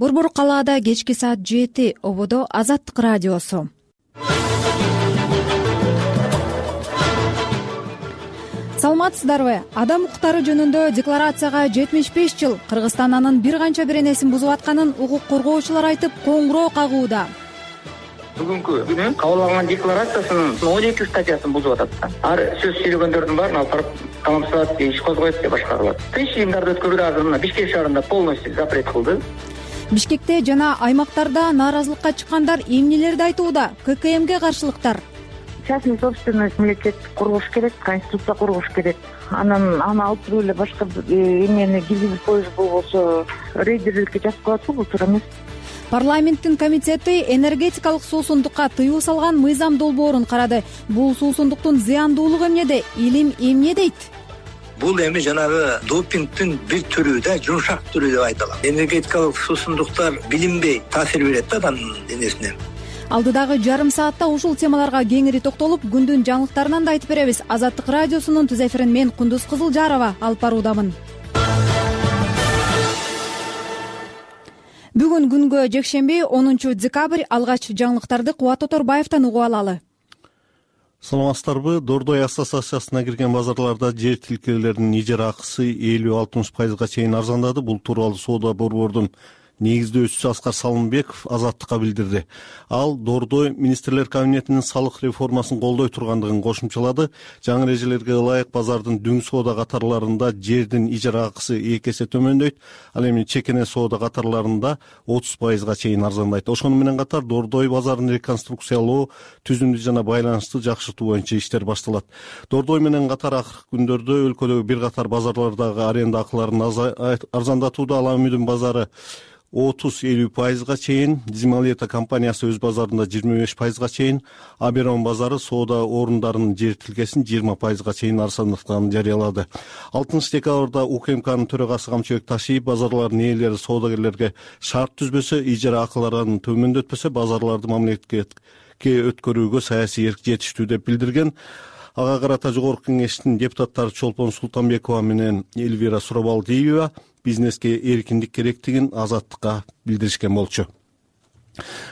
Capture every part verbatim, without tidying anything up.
Борбор калаада кечки саат жети, ободо Азаттык радиосу. Саламатсыздарбы? Адам укуктары жөнүндө декларацияга жетимиш беш жыл. Кыргызстан анын бир канча беренесин бузуп атканын укук коргоочулар айтып, коңгуроо кагууда. Бүгүнкү күнү кабыл алган декларациясынын он эки статьясын бузуп атат. Ар сөз сүйлөгөндөрдүн баарын алып барып камсызат, иш козгойт деп башка кылат. Тынч жыйындарды өткөрүүдө азыр мына Бишкек шаарында полностью запрет кылды. Бишкекте жана аймактарда нааразылыкка чыккандар эмнелерди айтууда? ККМге каршылыктар. Частный собственность мамлекет кургуш керек, конституция кургуш керек. Анан аны алып туруп эле башка эмени киргизип коюш болбосо рейдерликке жазып коет, бул туура эмес. Парламенттин комитети энергетикалык суусундукка тыюу салган мыйзам долбоорун карады. Бул суусундуктун зыяндуулугу эмнеде? Илим эмне дейт? Бул эми жанагы допингдин бир түрү да, жумшак түрү деп айтылат. Энергетикалык суусундуктар билинбей таасир берет да адамдын денесине. Алдыдагы жарым саатта ушул темаларга кеңири токтолуп, күндүн жаңылыктарынан да айтып беребиз. Азаттык радиосунун түз эфирин мен Кундуз Кызылжарова алып баруудамын. Бүгүн күнгө жекшемби онунчу декабрь, алгач жаңылыктарды Кубат Оторбаевден угуп алалы. Саламатсыздарбы? Дордой ассоциациясына кирген базарларда жер тилкелеринин ижара акысы элүү алтымыш пайызга чейин арзандады. Бул тууралуу соода борбордун негиздөөчүсү Аскар Салымбеков Азаттыкка билдирди. Ал Дордой министрлер кабинетинин салык реформасын колдой тургандыгын кошумчалады. Жаңы эрежелерге ылайык базардын дүң соода катарларында жердин ижара акысы эки эсе төмөндөйт. Ал эми чекене соода катарларында отуз пайызга чейин арзандайт. Ошону менен катар Дордой базарын реконструкциялоо, түзүмдү жана байланышты жакшыртуу боюнча иштер башталат. Дордой менен катар акыркы күндөрдө өлкөдөгү бир катар базарлардагы аренда акыларын арзандатууда. Ала Үмүдүн базары отуз элүү пайызга чейин, Дизмалета компаниясы өз базарында жыйырма беш пайызга чейин, Аберон базары соода орундарынын жер тилкесин жыйырма пайызга чейин арзандатканын жарыялады. алтымыш декабрда УКМКнын төрагасы Камчыбек Ташиев базарлардын ээлери соодагерлерге шарт түзбөсө, ижара акыларын төмөндөтпөсө базарларды мамлекетке өткөрүүгө саясий эрк жетиштүү деп билдирген. Ага карата Жогорку Кеңештин депутаттары Чолпон Султанбекова менен Эльвира Сурабалдиева бизнеске эркиндик керектигин Азаттыкка билдиришкен болчу.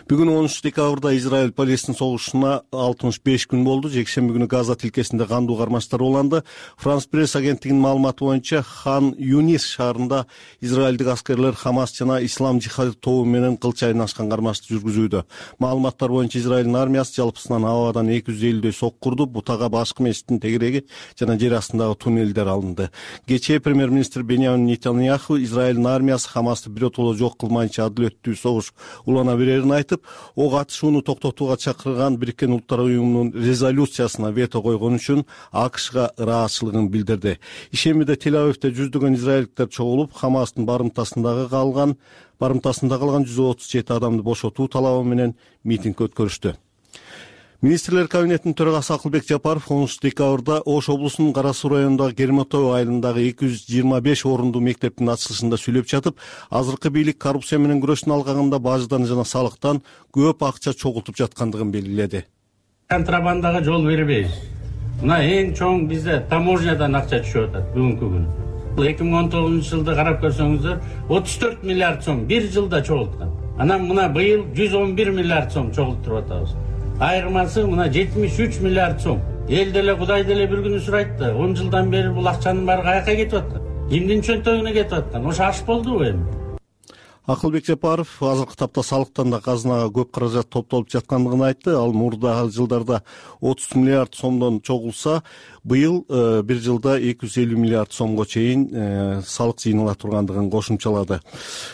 Бүгүн онунчу декабрда Израиль Палестин согушуна алтымыш беш күн болду. Жекшемби күнү Газа тилкесинде кандуу кармаштар уланды. Франс пресс агенттигинин маалыматы боюнча Хан Юнис шаарында израилдик аскерлер Хамас жана Ислам жихады тобу менен кылч айнашкан кармашты жүргүзүүдө. Маалыматтар боюнча Израилдин армиясы жалпысынан абадан эки жүз элүүдөй сок курду. Бутага башкы мешиттин тегереги жана жер астындагы туннелдер алынды. Кечээ премьер-министр Беньямин Нетаньяху Израилдин армиясы Хамасты биротоло жок кылмайынча адилеттүү согуш улана берерин айтып, ок атышууну токтотууга чакырган Бириккен Улуттар уюмунун резолюциясына вето койгон үчүн АКШга ыраазычылыгын билдирди. Ишембиде Тель-Авивде жүздөгөн израилдиктер чогулуп, Хамастын барымтасындагы калган барымтасында калган жүз отуз жети адамды бошотуу талабы менен митинг өткөрүштү. Министрлер кабинетинин төрагасы Акылбек Жапаров онунчу декабрда Ош облусунун Кара Суу районундагы Кермотоо айылындагы эки жүз жыйырма беш орундуу мектептин ачылышында сүйлөп жатып, азыркы бийлик коррупция менен күрөштүн алгагында баждан жана салыктан көп акча чогултуп жаткандыгын белгиледи. Контрабандага жол бербейбиз. Мына эң чоң бизде таможнядан акча түшүп атат бүгүнкү күнү. эки миң он тогузунчу жылды карап көрсөңүздөр отуз төрт миллиард сом бир жылда чогулткан. Анан мына быйыл жүз он бир миллиард сом чогултуп атабыз. Айырмасы мына жетимиш үч миллиард сом. Эл деле Кудай деле бир күнү сурайт да, он жылдан бери бул акчанын баары каяка кетип аткан? Кимдин чөнтөгүнө кетип аткан? Ошо аш болдубу эми? Акылбек Жапаров азыркы тапта салыктан да казынага көп каражат топтолуп жаткандыгын айтты. Ал мурдагы жылдарда отуз миллиард сомдон чогулса, быйыл бир жылда эки жүз элүү миллиард сомго чейин салык жыйныла тургандыгын кошумчалады.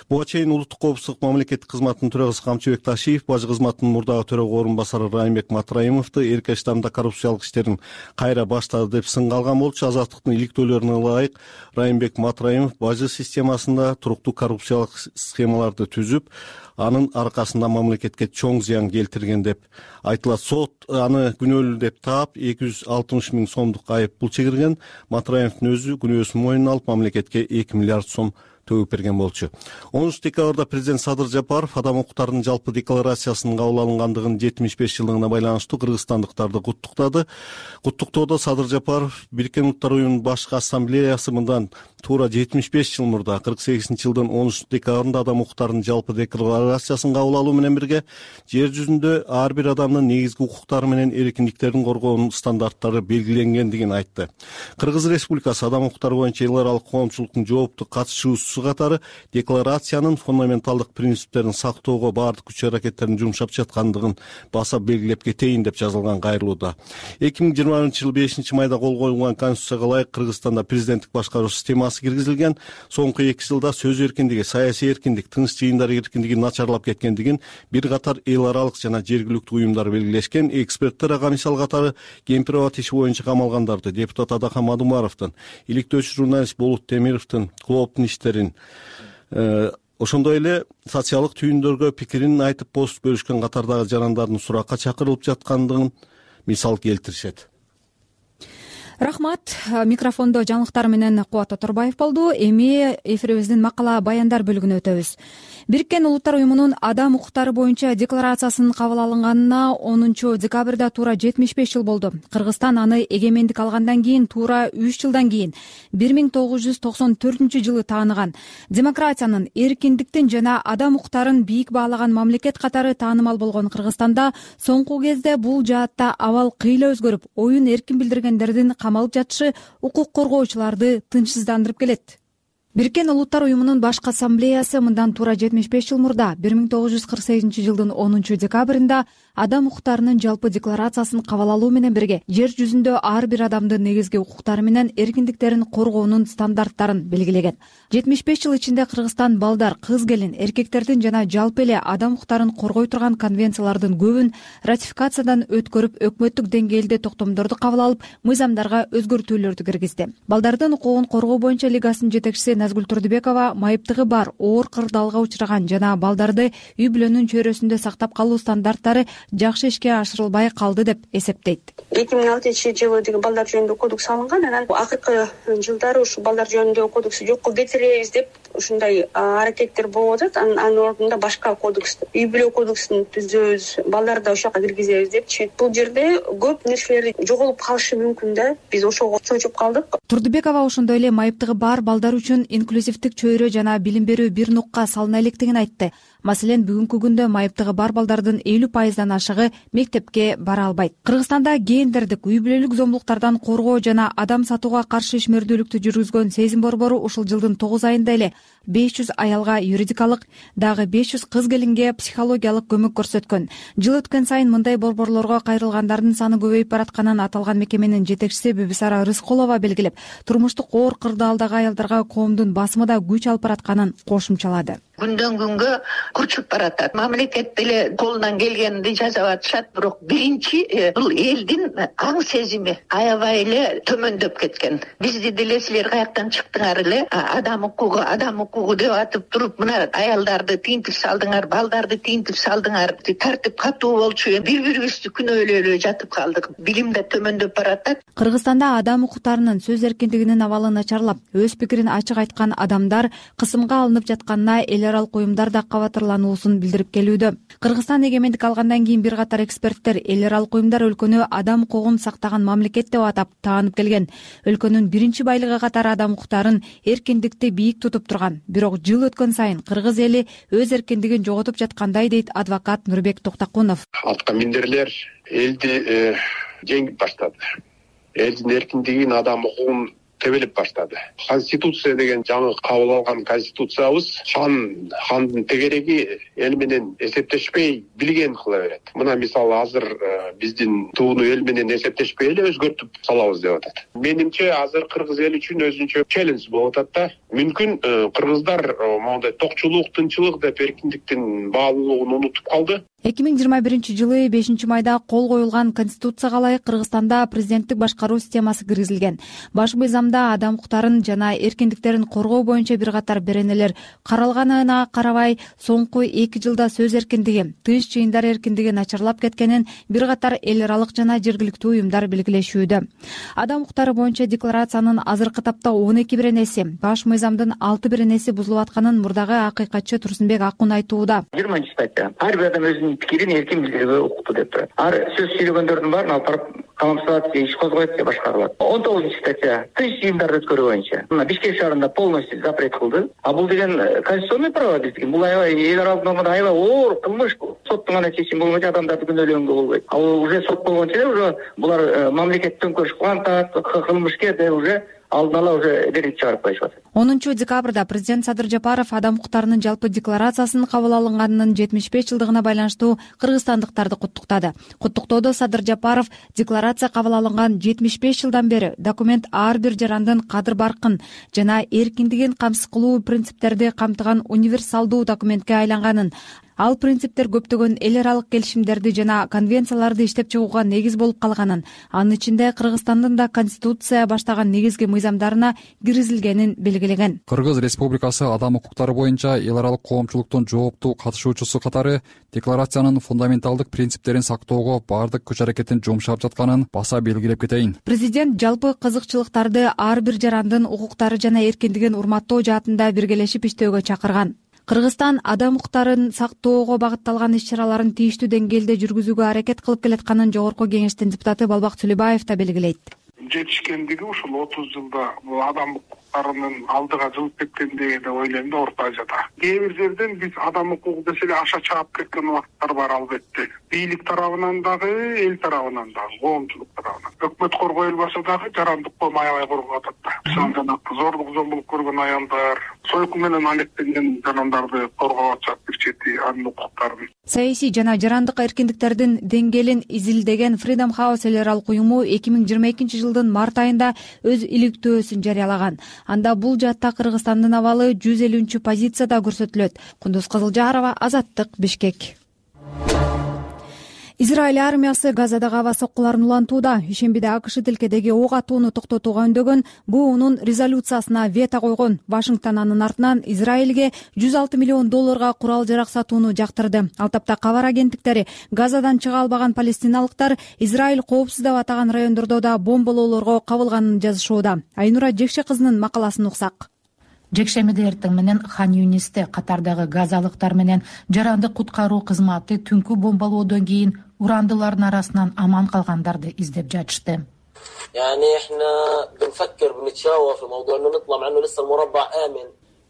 Буга чейин улуттук коопсуздук мамлекеттик кызматынын төрагасы Камчыбек Ташиев, бажы кызматынын мурдагы төрага орун басары Райымбек Матраимовду эрке штамда коррупциялык иштерин кайра баштады деп сынга алган болчу. Азаттыктын иликтөөлөрүнө ылайык Райымбек Матраимов бажы системасында туруктуу коррупциялык схемаларды түзүп, анын аркасында мамлекетке чоң зыян келтирген деп айтылат. Сот аны күнөөлүү деп таап, эки жүз алтымыш миң сомдук айып пул чегирген. Матраимовдун өзү күнөөсүн мойнуна алып, мамлекетке эки миллиард сом төгүп берген болчу. онунчу декабрда президент Садыр Жапаров адам укуктарынын жалпы декларациясынын кабыл алынгандыгынын жетимиш беш жылдыгына байланыштуу кыргызстандыктарды куттуктады. Куттуктоодо Садыр Жапаров Бириккен Улуттар уюмунун башкы ассамблеясы мындан туура жетимиш беш жыл мурда кырк сегизинчи жылдын онунчу декабрында адам укуктарынын жалпы декларациясын кабыл алуу менен бирге жер жүзүндө ар бир адамдын негизги укуктары менен эркиндиктерин коргоонун стандарттары белгиленгендигин айтты. Кыргыз Республикасы адам укуктары боюнча эл аралык коомчулуктун жооптуу катышуучусу катары декларациянын фундаменталдык принциптерин сактоого баардык күч аракеттерин жумшап жаткандыгын баса белгилеп кетейин деп жазылган кайрылууда. эки миң жыйырма биринчи жылы бешинчи майда кол коюлган Конституцияга ылайык Кыргызстанда президенттик башкаруу системасы киргизилген. Соңку эки жылда сөз эркиндиги, саясий эркиндик, тынч жыйындар эркиндиги начарлап кеткендигин бир катар эл аралык жана жергиликтүү уюмдар белгилешкен. Эксперттер ага мисал катары Кемпирова иши боюнча камалгандарды, депутат Адахан Мадумаровдун, иликтөөчү журналист Болот Темировдун клооптун иштерин, ошондой эле социалдык түйүндөргө пикирин айтып пост бөлүшкөн катардагы жарандардын суракка чакырылып жаткандыгын мисал келтиришет. Рахмат. Микрофондо жаңылыктар менен Кубат Оторбаев болду. Эми эфирибиздин макала баяндар бөлүгүнө өтөбүз. Бириккен Улуттар уюмунун адам укуктары боюнча декларациясынын кабыл алынганына онунчу декабрда туура жетимиш беш жыл болду. Кыргызстан аны эгемендик алгандан кийин туура үч жылдан кийин бир миң тогуз жүз токсон төртүнчү жылы тааныган. Демократиянын, эркиндиктин жана адам укуктарын бийик баалаган мамлекет катары таанымал болгон Кыргызстанда соңку кезде бул жаатта абал кыйла өзгөрүп, оюн эркин билдиргендердин камалып жатышы укук коргоочуларды тынчсыздандырып келет. Бириккен Улуттар уюмунун башкы ассамблеясы мындан туура жетимиш беш жыл мурда бир миң тогуз жүз кырк сегизинчи жылдын онунчу декабрында адам укуктарынын жалпы декларациясын кабыл алуу менен бирге жер жүзүндө ар бир адамдын негизги укуктары менен эркиндиктерин коргоонун стандарттарын белгилеген. жетимиш беш жыл ичинде Кыргызстан балдар, кыз келин, эркектердин жана жалпы эле адам укуктарын коргой турган конвенциялардын көбүн ратификациядан өткөрүп, өкмөттүк деңгээлде токтомдорду кабыл алып, мыйзамдарга өзгөртүүлөрдү киргизди. Балдардын укугун коргоо боюнча лигасынын жетекчиси Назгүл Турдубекова майыптыгы бар, оор кырдаалга учураган жана балдарды үй бүлөнүн чөйрөсүндө сактап калуу стандарттары жакшы ишке ашырылбай калды деп эсептейт. эки миң алтынчы жылы деген балдар жөнүндө кодекс алынган, анан акыркы жылдары ушу балдар жөнүндө кодексти жокко кетиребиз деп ушундай аракеттер болуп атат. Анын ордунда башка кодекс, үй бүлө кодексин түзөбүз, балдарды ошоко киргизебиз депчи. Бул жерде көп нерселер жоголуп калышы мүмкүн да. Биз ошого чочуп калдык. Турдубекова ошондой эле майыптыгы бар балдар үчүн инклюзивдик чөйрө жана билим берүү бир нукка салына электигин айтты. Маселен, бүгүнкү күндө майыптыгы бар балдардын элүү пайыздан ашыгы мектепке бара албайт. Кыргызстанда гендердик, үй бүлөлүк зомбулуктардан коргоо жана адам сатууга каршы ишмердүүлүктү жүргүзгөн Сезим борбору ушул жылдын тогуз айында эле беш жүз аялга юридикалык, дагы беш жүз кыз келинге психологиялык көмөк көрсөткөн. Жыл өткөн сайын мындай борборлорго кайрылгандардын саны көбөйүп баратканын аталган мекеменин жетекчиси Бибисара Рыскулова белгилеп, турмуштук оор кырдаалдагы аялдарга коомдун басымы да күч алып баратканын кошумчалады. Күндөн күнгө күчүп баратат. Мамлекет деле колунан келгенди жасап атышат, бирок биринчи бул элдин аң сезими аябай эле төмөндөп кеткен. Бизди деле силер каяктан чыктыңар эле, адам укугу, адам укугу деп атып туруп, мына аялдарды тинтип салдыңар, балдарды тинтип салдыңар, тартип катуу болчу. Бири-бирибизди күнөөлөй эле жатып калдык. Билим да төмөндөп баратат. Кыргызстанда адам укуктарынын, сөз эркиндигинин абалы начарлап, өз пикирин ачык айткан адамдар кысымга алынып жатканына эл аралык уюмдар да кабатырлануусун билдирип келүүдө. Кыргызстан эгемендик алгандан кийин бир катар эксперттер эл аралык уюмдар өлкөнү адам укугун сактаган мамлекет деп атап таанып келген. Өлкөнүн биринчи байлыгы катары адам укуктарын, эркиндикти бийик тутуп турган. Бирок жыл өткөн сайын кыргыз эли өз эркиндигин жоготуп жаткандай дейт адвокат Нурбек Токтакунов. Атка миндерлер элди жеңип баштады. Элдин эркиндигин, адам укугун тебелеп баштады. Конституция деген жаңы кабыл алган конституциябыз хан, хандын тегереги эл менен эсептешпей билген кыла берет. Мына мисалы азыр биздин тууну эл менен эсептешпей эле өзгөртүп салабыз деп атат. Менимче азыр кыргыз эли үчүн өзүнчө челлендж болуп атат да. Мүмкүн кыргыздар мондай токчулук, тынчылык деп эркиндиктин баалуулугун унутуп калды. эки миң жыйырма биринчи жылы бешинчи майда кол коюлган конституцияга ылайык Кыргызстанда президенттик башкаруу системасы киргизилген. Баш мыйзамда адам укуктарын жана эркиндиктерин коргоо боюнча бир катар беренелер каралганына карабай, соңку эки жылда сөз эркиндиги, тынч жыйындар эркиндиги начарлап кеткенин бир катар эл аралык жана жергиликтүү уюмдар белгилешүүдө. Адам укуктары боюнча декларациянын азыркы тапта он эки беренеси, баш мыйзамдын алты беренеси бузулуп атканын мурдагы акыйкатчы Турсунбек Акун айтууда. жыйырманчы статья. Ар бир адам өзүнүн пикирин эркин билдирүүгө укуктуу деп турат. Ар сөз сүйлөгөндөрдүн баарын алып барып камсызат, иш козгойт деп башкарылат. он тогузунчу статья. Тынч жыйындарды өткөрүү боюнча мына Бишкек шаарында полностью запрет кылды. А бул деген конституционный право биздики. Бул аябай эл аралык нормада аябай оор кылмыш. Соттун гана чечими болбойт, адамдарды күнөөлөгөнгө болбойт. Ал уже сот болгончо эле уже булар мамлекет төңкөрүш кылган атат, кылмышкер деп уже алдын ала уже вердикт чыгарып коюшуп атат. онунчу декабрда президент Садыр Жапаров адам укуктарынын жалпы декларациясынын кабыл алынганынын жетимиш беш жылдыгына байланыштуу кыргызстандыктарды куттуктады. Куттуктоодо Садыр Жапаров декларация кабыл алынган жетимиш беш жылдан бери документ ар бир жарандын кадыр-баркын жана эркиндигин камсыз кылуу принциптерди камтыган универсалдуу документке айланганын, ал принциптер көптөгөн эл аралык келишимдерди жана конвенцияларды иштеп чыгууга негиз болуп калганын, анын ичинде Кыргызстандын да конституция баштаган негизги мыйзамдарына киргизилгенин белгилеген. Кыргыз Республикасы адам укуктары боюнча эл аралык коомчулуктун жооптуу катышуучусу катары декларациянын фундаменталдык принциптерин сактоого баардык күч аракетин жумшап жатканын баса белгилеп кетейин. Президент жалпы кызыкчылыктарды ар бир жарандын укуктары жана эркиндигин урматтоо жаатында биргелешип иштөөгө чакырган. Кыргызстан адам укуктарын сактоого багытталган иш-чараларын тийиштүү деңгээлде жүргүзүүгө аракет кылып келатканын Жогорку Кеңештин депутаты Балбак Сүлөбаев да белгилейт. Жетишкендиги ушул отуз жылда бул адам укуктарынын алдыга жылып кеткендиги деп ойлойм да орто Азияда. Кээ бир жерден биз адам укугу десе эле аша чаап кеткен убакыттар бар албетте. Бийлик тарабынан дагы, эл тарабынан дагы, коомчулук тарабынан. Өкмөт коргойлбаса дагы жарандык коом аябай коргоп атат да. Мисалы жана зорлук зомбулук көргөн аялдар, сойкун менен алектенген жарандарды коргоп атышат бир чети анын укуктарын. Саясий жана жарандык эркиндиктердин деңгээлин изилдеген Freedom House эл аралык уюму эки миң жыйырма экинчи жылдын март айында өз иликтөөсүн жарыялаган. Анда бул жаатта Кыргызстандын абалы жүз элүүнчү позицияда көрсөтүлөт. Кундуз Кызылжарова, Азаттык, Бишкек. Израиль армиясы Газадагы аба соккуларын улантууда. Ишембиде АКШ тилкедеги ок атууну токтотууга үндөгөн БУнун резолюциясына вето койгон. Вашингтон анын артынан Израилге жүз алты миллион долларга курал-жарак сатууну жактырды. Ал тапта кабар агенттиктери Газадан чыга албаган палестиналыктар Израиль коопсуз деп атаган райондордо да бомбалоолорго кабылганын жазышууда. Айнура Жекше кызынын макаласын уксак. Жекшемиде эртең менен Хан Юнисте катардагы газалыктар менен жарандык куткаруу кызматы түнкү бомбалоодон кийин урандылардын арасынан аман калгандарды издеп жатышты.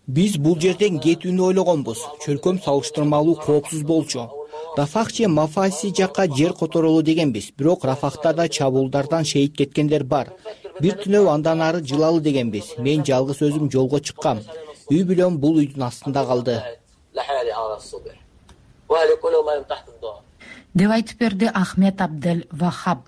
Биз бул жерден кетүүнү ойлогонбуз. Чөлкөм салыштырмалуу коопсуз болчу. Рафах же Мафаси жакка жер которолу дегенбиз. Бирок Рафахтарда чабуулдардан шейит кеткендер бар. Бир түнөө андан ары жылалы дегенбиз. Мен жалгыз өзүм жолго чыккам. Үй бүлөм бул үйдүн астында калды. Деп айтып берди Ахмед Абдел Вахаб.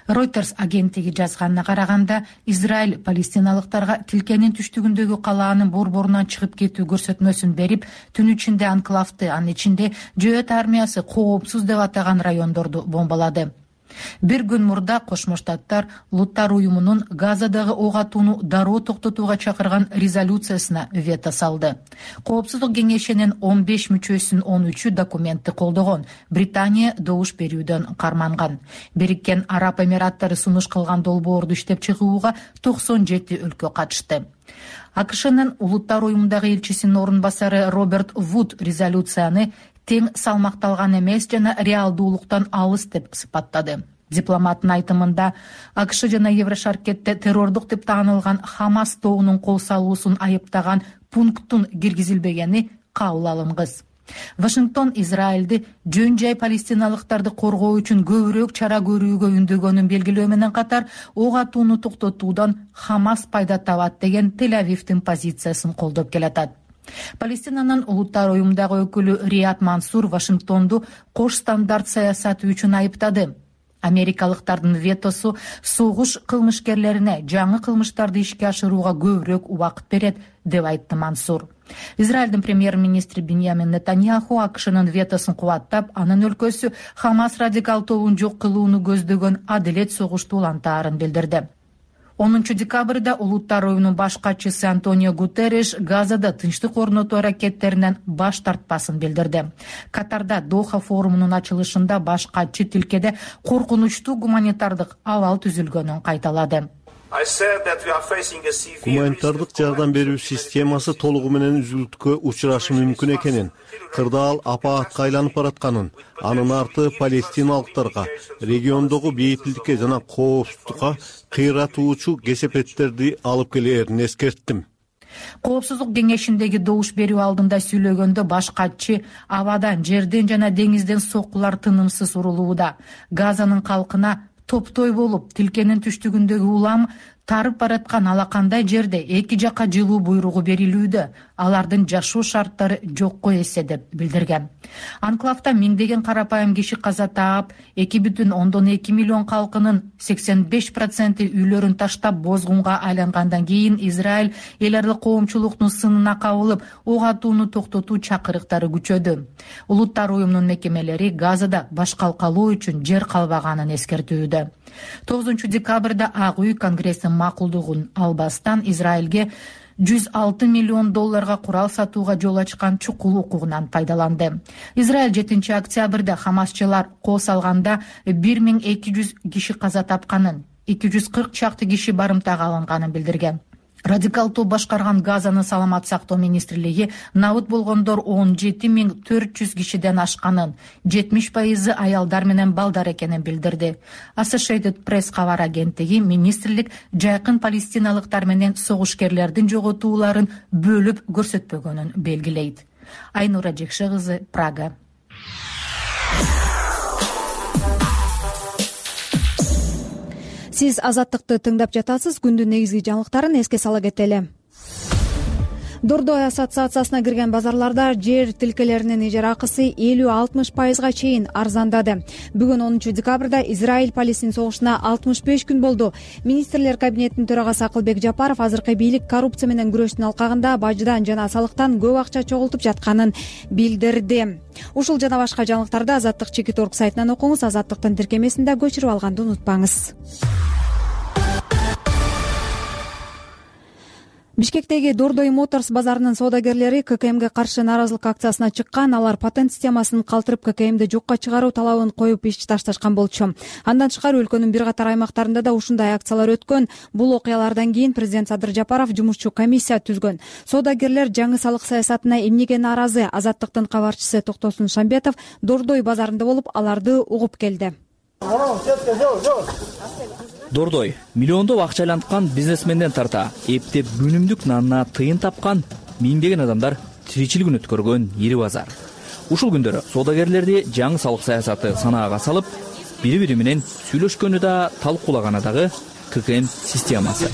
Reuters агенттиги жазганына караганда, Израиль палестиналыктарга тилкенин түштүгүндөгү калаанын борборунан чыгып кетүү көрсөтмөсүн берип, түн ичинде анклавды, анын ичинде Жөөт армиясы коопсуз деп атаган райондорду бомбалады. Бир күн мурда Кошмо Штаттар Улуттар уюмунун Газадагы ок атууну дароо токтотууга чакырган резолюциясына вето салды. Коопсуздук кеңешинин он беш мүчөсүнүн он үчү документти колдогон. Британия добуш берүүдөн карманган. Бириккен Араб Эмираттары сунуш кылган долбоорду иштеп чыгууга токсон жети өлкө катышты. АКШнын Улуттар уюмундагы элчисинин орун басары Роберт Вуд резолюцияны тең салмакталган эмес жана реалдуулуктан алыс деп сыпаттады. Дипломаттын айтымында АКШ жана Еврошаркетте террордук деп таанылган Хамас тобунун кол салуусун айыптаган пункттун киргизилбегени кабыл алынгыс. Вашингтон Израилди жөн жай палестиналыктарды коргоо үчүн көбүрөөк чара көрүүгө үндөгөнүн белгилөө менен катар, ок атууну токтотуудан Хамас пайда табат деген Тель-Авивдин позициясын колдоп келатат. Палестинанын Улуттар уюмундагы өкүлү Рият Мансур Вашингтонду кош стандарт саясаты үчүн айыптады. Америкалыктардын ветосу согуш кылмышкерлерине жаңы кылмыштарды ишке ашырууга көбүрөөк убакыт берет деп айтты Мансур. Израилдин премьер-министри Биньямин Нетаньяху АКШнын ветосун кубаттап, анын өлкөсү Хамас радикал тобун жок кылууну көздөгөн адилет согушту улантаарын билдирди. онунчу декабрда Улуттар уюмунун баш катчысы Антонио Гутерриш Газада тынчтык орнотуу аракеттеринен баш тартпасын билдирди. Катарда Доха форумунун ачылышында баш катчы тилкеде коркунучтуу гуманитардык абал түзүлгөнүн кайталады. Гуманитардык жардам берүү системасы толугу менен үзүлүшкө учурашы мүмкүн экенин, кырдаал апаатка айланып баратканын, анын арты палестиналыктарга, региондогу бейпилдикке жана коопсуздукка кыйратуучу кесепеттерди алып келээрин эскерттим. Коопсуздук кеңешиндеги добуш берүү алдында сүйлөгөндө баш катчы абадан, жерден жана деңизден соккулар тынымсыз урулууда. Газанын калкына топтой болуп, тилкенин түштүгүндөгү улам тарып бараткан алакандай жерде эки жакка жылуу буйругу берилүүдө, алардын жашоо шарттары жокко эсе деп билдирген. Анклавда миңдеген карапайым киши каза таап, эки бүтүн ондон эки миллион калкынын сексен беш проценти үйлөрүн таштап бозгунга айлангандан кийин Израиль эл аралык коомчулуктун сынына кабылып, ок атууну токтотуу чакырыктары күчөдү. Улуттар уюмунун мекемелери Газада башкалкалоо үчүн жер калбаганын эскертүүдө. тогузунчу декабрда Ак үй Конгресстин макулдугун албастан Израилге жүз алты миллион долларга курал сатууга жол ачкан чукул укугунан пайдаланды. Израиль жетинчи октябрда Хамасчылар кол салганда бир миң эки жүз киши каза тапканын, эки жүз кырк чакты киши барымтага алынганын билдирген. Радикал топ башкарган Газанын саламат сактоо министрлиги набыт болгондор он жети миң төрт жүз кишиден ашканын, жетимиш пайызы аялдар менен балдар экенин билдирди. Associated Press кабар агенттиги министрлик жайкын палестиналыктар менен согушкерлердин жоготууларын бөлүп көрсөтпөгөнүн белгилейт. Айнура Жекше кызы, Прага. Сиз Азаттыкты тыңдап жатасыз. Күндүн негизги жаңылыктарын эске сала кетели. Дордой ассоциациясына кирген базарларда жер тилкелеринин ижара акысы элүү алтымыш пайызга чейин арзандады. Бүгүн онунчу декабрда Израиль Палестин согушуна алтымыш беш күн болду. Министрлер кабинетинин төрагасы Акылбек Жапаров азыркы бийлик коррупция менен күрөштүн алкагында баждан жана салыктан көп акча чогултуп жатканын билдирди. Ушул жана башка жаңылыктарды Азаттык чекит точка орг сайтынан окуңуз. Азаттыктын тиркемесинде көчүрүп алганды унутпаңыз. Бишкектеги Дордой Моторс базарынын соодагерлери К К Мге каршы нааразылык акциясына чыккан. Алар патент системасын калтырып К К Мди жокко чыгаруу талабын коюп иш ташташкан болчу. Андан тышкары өлкөнүн бир катар аймактарында да ушундай акциялар өткөн. Бул окуялардан кийин президент Садыр Жапаров жумушчу комиссия түзгөн. Соодагерлер жаңы салык саясатына эмнеге нааразы? Азаттыктын кабарчысы Токтосун Шамбетов Дордой базарында болуп, аларды угуп келди. Дордой миллиондоп акча айланткан бизнесменден тарта эптеп күнүмдүк нанына тыйын тапкан миңдеген адамдар тиричилигин өткөргөн ири базар. Ушул күндөрү соодагерлерди жаңы салык саясаты санаага салып, бири-бири менен сүйлөшкөнү да, талкуулаганы дагы К К М системасы.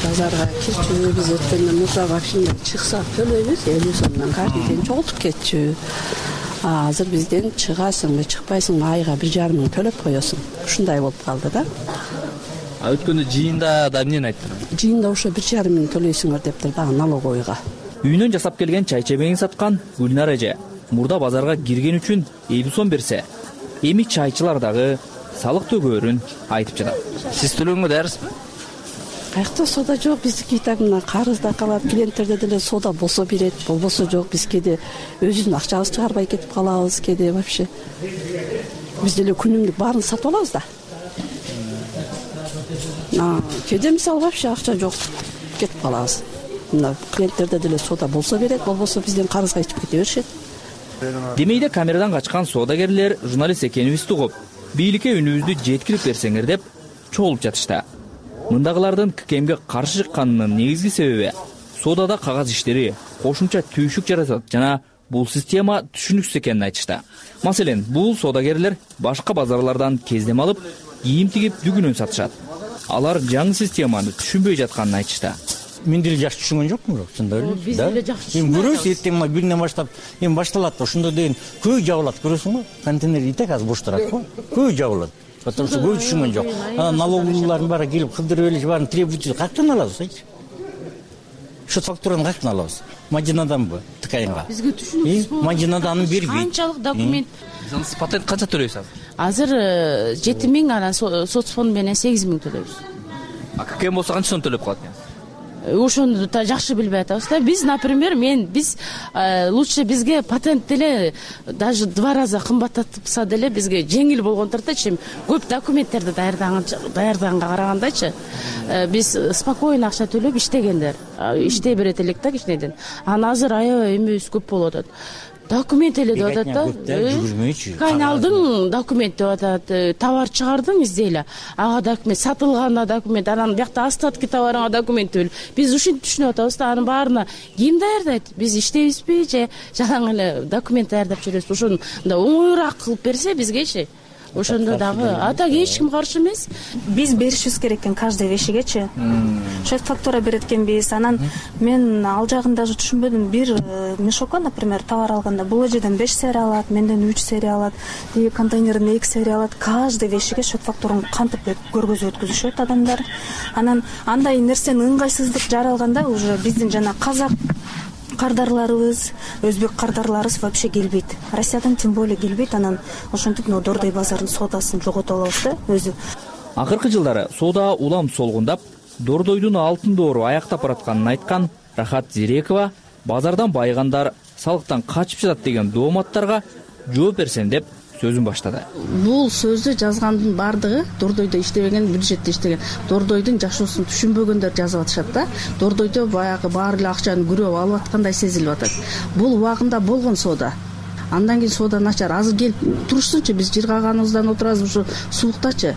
Базарга кирчү, биз өткөндө мурда вообще чыксак төлөйбүз, элүү сомдон картиден чогултуп кетчү. Азыр бизден чыгасыңбы, чыкпайсыңбы, айга бир жарым миң төлөп коесуң. Ушундай болуп калды да. А өткөндө жыйында да эмнени айттыңар? Жыйында ошо бир жарым миң төлөйсүңөр дептир дагы налоговыйга. Үйүнөн жасап келген чай чебегин саткан Гүлнар эже мурда базарга кирген үчүн элүү сом берсе, эми чайчылар дагы салык төгөөрүн айтып жатат. Сиз төлөгөнгө даярсызбы? Каякта сода жок, биздики так мына карызда калат, клиенттерде деле сода болсо берет, болбосо жок. Биз кээде өзүбүздүн акчабызды чыгарбай кетип калабыз, кээде вообще. Биз деле күнүмдүк баарын сатып алабыз да. Кээде мисалы вообще акча жок, кетип калабыз. Мына клиенттерде деле сода болсо берет, болбосо бизден карызга ичип кете беришет. Демейде камерадан качкан соодагерлер журналист экенибизди угуп, бийликке үнүбүздү жеткирип берсеңер деп чогулуп жатышты. Мындагылардын К К Мге каршы чыкканынын негизги себеби соодада кагаз иштери кошумча түйшүк жаратат жана бул система түшүнүксүз экенин айтышты. Маселен, бул соодагерлер башка базарлардан кездем алып, кийим тигип дүгүнөн сатышат. Алар жаңы системаны түшүнбөй жатканын айтышты. Мен деле жакшы түшүнгөн жокмун, бирок чындап эле. Биз деле жакшы түшүнгөн. Эми көрөбүз, эртең мына күндөн баштап эми башталат, ошондо деген көй жабылат, көрөсүң го? Контейнер итек азыр бош турат го. Көй жабылат. Потому что көй түшүнгөн жок. Налоговыйлардын баары келип кылдырып эле баарын требуйт, каяктан алабыз, айтчы? Счет фактураны каяктан алабыз? Мадинаданбы ткайнга? Бизге түшүнүксүз. Мадинада аны бербейт. Канчалык документ? Сиз патент канча төлөйсүз азыр? Азыр жети миң, анан соцфонд менен сегиз миң төлөйбүз. А ККМ болсо канча сом төлөп калат экенсиз? Ошону да жакшы билбей атабыз да. Биз, например, мен биз лучше бизге патент деле даже два раза кымбаттатса деле бизге жеңил болгон турат-чы. Көп документтерди даярдаганга карагандачы. Биз спокойно акча төлөп иштегендер. Иштей берет элек да кичинеден. Анан азыр аябай эмебиз көп болуп атат. Документ эле деп атат да. Кайна алдың документ деп атат. Товар чыгардың издейле. Ага документ, сатылганда документ, анан бияқта остатки товарыңа документ бөл. Биз ушинтип түшүнүп атабыз да, анын баарына ким даярдайт? Биз иштейбизби же жалаң эле документ даярдап жүрөбүз? Ошону оңоюраак кылып берсе бизгечи. Ошондо дагы атак эч ким каршы эмес. Биз беришибиз керек экен каждый вещигечи. Шеф фактура берет экенбиз. Анан мен ал жагын даже түшүнбөдүм. Бир мешокко, например, товар алганда бул жерден беш серия алат, менден үч серия алат, тиги контейнерден эки серия алат. Каждый вещиге шеф фактураны кантип көргөзүп өткүзүшөт адамдар. Анан андай нерсени ыңгайсыздык жаралганда уже биздин жана казак кардарларыбыз, өзбек кардарларыбыз вообще келбейт. Россиядан тем более келбейт. Анан ошентип мына Дордой базарынын соодасын жоготуп алабыз да өзү. Акыркы жылдары соода улам солгундап, Дордойдун алтын доору аяктап баратканын айткан Рахат Зирекова базардан байыгандар салыктан качып жатат деген дооматтарга жооп берсем деп сөзүн баштады. Бул сөздү жазгандын бардыгы Дордойдо иштебеген, бюджетте иштеген, Дордойдун жашоосун түшүнбөгөндөр жазып атышат да. Дордойдо баягы баары эле акчаны күрөп алып аткандай сезилип атат. Бул убагында болгон соода. Андан кийин соода начар. Азыр келип турушсунчу, биз жыргаганыбыздан отурабыз ушу сууктачы.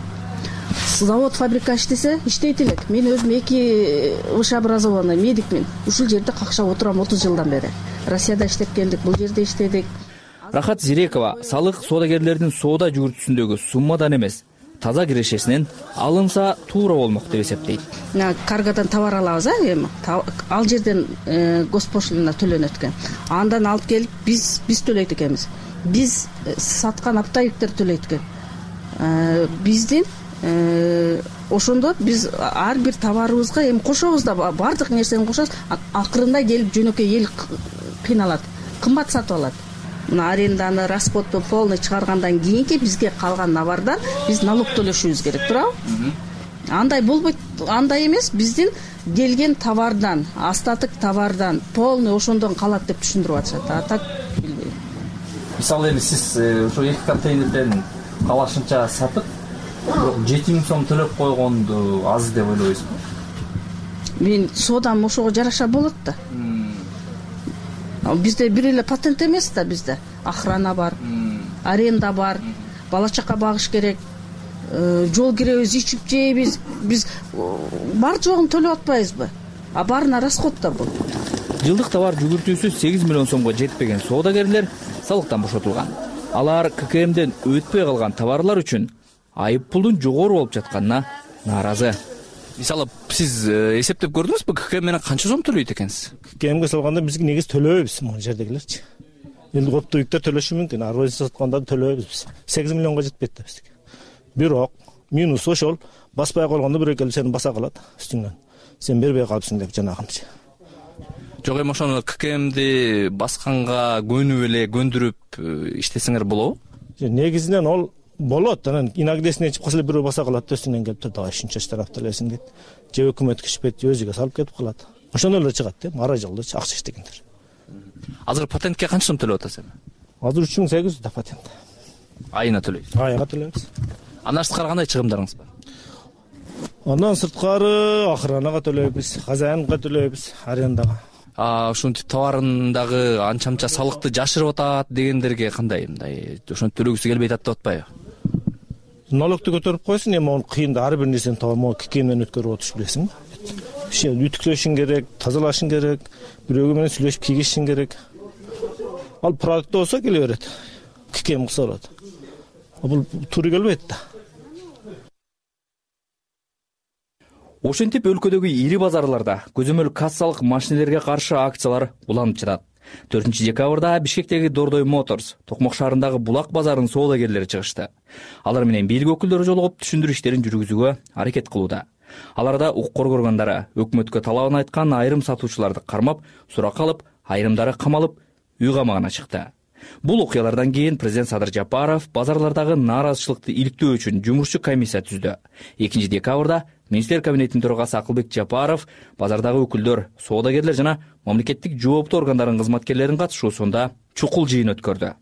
Завод, фабрика иштесе, иштейт элек. Мен өзүм эки высшее образованный медикмин. Ушул жерде какшап отурам отуз жылдан бери. Россияда иштеп келдик, бул жерде иштедик. Рахат Зирекова салык соодагерлердин соода жүгүртүүсүндөгү суммадан эмес, таза кирешесинен алынса туура болмок деп эсептейт. Каргадан товар алабыз, а эми ал жерден госпошлина төлөнөт экен. Андан алып келип биз биз төлөйт экенбиз. Биз саткан оптовиктер төлөйт экен. Биздин ошондо биз ар бир товарыбызга эми кошобуз да, баардык нерсени кошобуз. Акырында келип жөнөкөй эл кыйналат, кымбат сатып алат. Мына аренданы, расходду полный чыгаргандан кийинки бизге калган навардан биз налог төлөшүбүз керек, туурабы? Андай болбойт, андай эмес, биздин келген товардан, остаток товардан полный ошондон калат деп түшүндүрүп атышат. А так билбейм. Мисалы эми сиз ошо эки контейнерден калашынча сатып, жети миң сом төлөп койгонду аз деп ойлойсузбу? Мен соодам ошого жараша болот да. Бизде бир эле патент эмес да, бизде охрана бар, аренда бар, бала чака багыш керек, жол киребиз, ичип жейбиз, биз бар жогун төлөп атпайбызбы? А баарына расход да бул. Жылдык товар жүгүртүүсү сегиз миллион сомго жетпеген соодагерлер салыктан бошотулган. Алар ККМден өтпөй калган товарлар үчүн айып пулдун жогору болуп жатканына нааразы. Мисалы, сиз эсептеп көрдүңүзбү, ККМ менен канча сом төлөйт экенсиз? ККМге салганда бизге негиз төлөбүз, могу жердегилерчи. Эми оптовиктер төлөшү мүмкүн, ар биринчи сатканда төлөбүз биз. сегиз миллионго жетпейт да бизге. Бирок минус ошол, баспай койгондо бирөө келип сени баса калат үстүңөн. Сен бербей калыпсың деп жанагынча. Жок, эми ошону ККМди басканга көнүп эле көндүрүп иштесеңер болобу? Негизинен ол болот. Анан инагдесине ичип калса бирөө баса калат, өстүнөн келип туруп, давай ушунча штраф төлөсүң дейт. Же өкмөт кичпейт, өзүгө салып кетип калат. Ошондо эле чыгат да, ара жылда акча иштегендер. Азыр патентке канча сом төлөп атасыз эми? Азыр үч миң сегиз жүз да патент. Айына төлөйсүз? Айына төлөйбүз. Андан сырткары кандай чыгымдарыңыз бар? Андан сырткары охранага төлөйбүз, хозяинга төлөйбүз, арендага. А ушинтип товарындагы анча-мынча салыкты жашырып атат дегендерге кандай, мындай ошону төлөгүсү келбей атат деп атпайбы? Налогду көтөрүп койсун, эми onu кыйында ар бир нерсени табам, ККМден өткөрүп отуруш билесиң. Иши үтүклөшүң керек, тазалашың керек, бирөөгө менен сүйлөшүп кийгизишиң керек. Ал продукт болсо келе берет. ККМ кылса болот. Бул туура келбейт да. Ошентип өлкөдөгү ири базарларда көзөмөл кассалык машинелерге каршы акциялар уланып жатат. төртүнчү декабрда Бишкектеги Дордой Моторс, Токмок шаарындагы Булак базарынын соодагерлери чыгышты. Алар менен бийлик өкүлдөрү жолугуп түшүндүрүү иштерин жүргүзүүгө аракет кылууда. Аларда укук коргонгондары өкмөткө талабын айткан айрым сатуучуларды кармап, суракка алып, айрымдары камалып, үй камагына чыкты. Бул окуялардан кийин президент Садыр Жапаров базарлардагы нааразычылыкты иликтөө үчүн жумушчу комиссия түздү. экинчи декабрда министрлер кабинетинин төрагасы Акылбек Жапаров базардагы өкүлдөр, соодагерлер жана мамлекеттик жооптуу органдардын кызматкерлеринин катышуусунда чукул жыйын өткөрдү.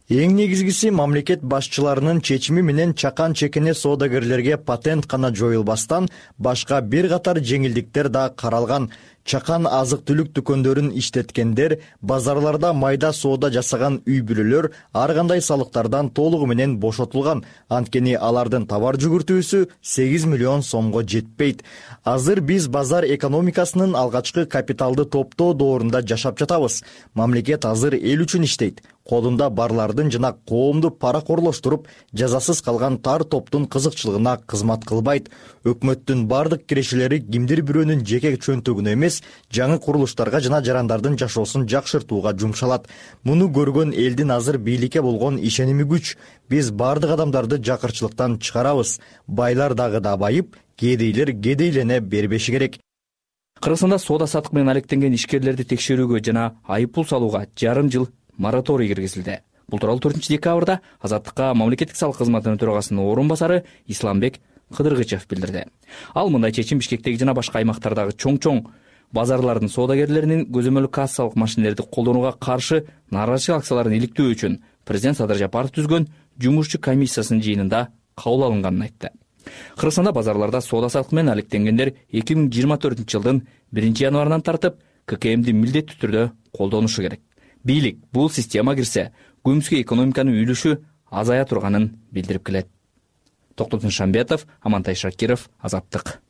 Эң негизгиси мамлекет башчыларынын чечими менен чакан чекене соодагерлерге патент гана жоюлбастан башка бир катар жеңилдиктер да каралган. Чакан азык-түлүк дүкөндөрүн иштеткендер, базарларда майда соода жасаган үй бүлөлөр ар кандай салыктардан толугу менен бошотулган. Анткени алардын товар жүгүртүүсү сегиз миллион сомго жетпейт. Азыр биз базар экономикасынын алгачкы капиталды топтоо доорунда жашап жатабыз. Мамлекет азыр эл үчүн иштейт. Колунда барлардын жана коомду паракорлоштуруп, жазасыз калган тар топтун кызыкчылыгына кызмат кылбайт. Өкмөттүн бардык кирешелери кимдир бирөөнүн жеке чөнтөгүнө эмес, жаңы курулуштарга жана жарандардын жашоосун жакшыртууга жумшалат. Муну көргөн элдин азыр бийликке болгон ишеними күч. Биз бардык адамдарды жакырчылыктан чыгарабыз. Байлар дагы да байып, кедейлер кедейлене бербеши керек. Кыргызстанда соода саттык менен алектенген ишкерлерди текшерүүгө жана айыппул салууга жарым жыл мораторий киргизилди. Бул тууралуу төртүнчү декабрда Азаттыкка мамлекеттик салык кызматынын төрагасынын орун басары Исламбек Кыдыргычев билдирди. Ал мындай чечим Бишкектеги жана башка аймактардагы чоң-чоң базарлардын соодагерлеринин көзөмөлдүк кассалык машинелерди колдонууга каршы нааразычылык акцияларын иликтөө үчүн президент Садыр Жапаров түзгөн жумушчу комиссиясынын жыйынында кабыл алынганын айтты. Кыргызстанда базарларда соода саттык менен алектенгендер эки миң жыйырма төртүнчү жылдын биринчи январынан тартып ККМди милдеттүү түрдө колдонушу керек. Бийлик бул система кирсе, көмүскө экономиканын үлүшү азая турганын билдирип келет. Токтотун Шамбетов, Амантай Шакиров, Азаттык.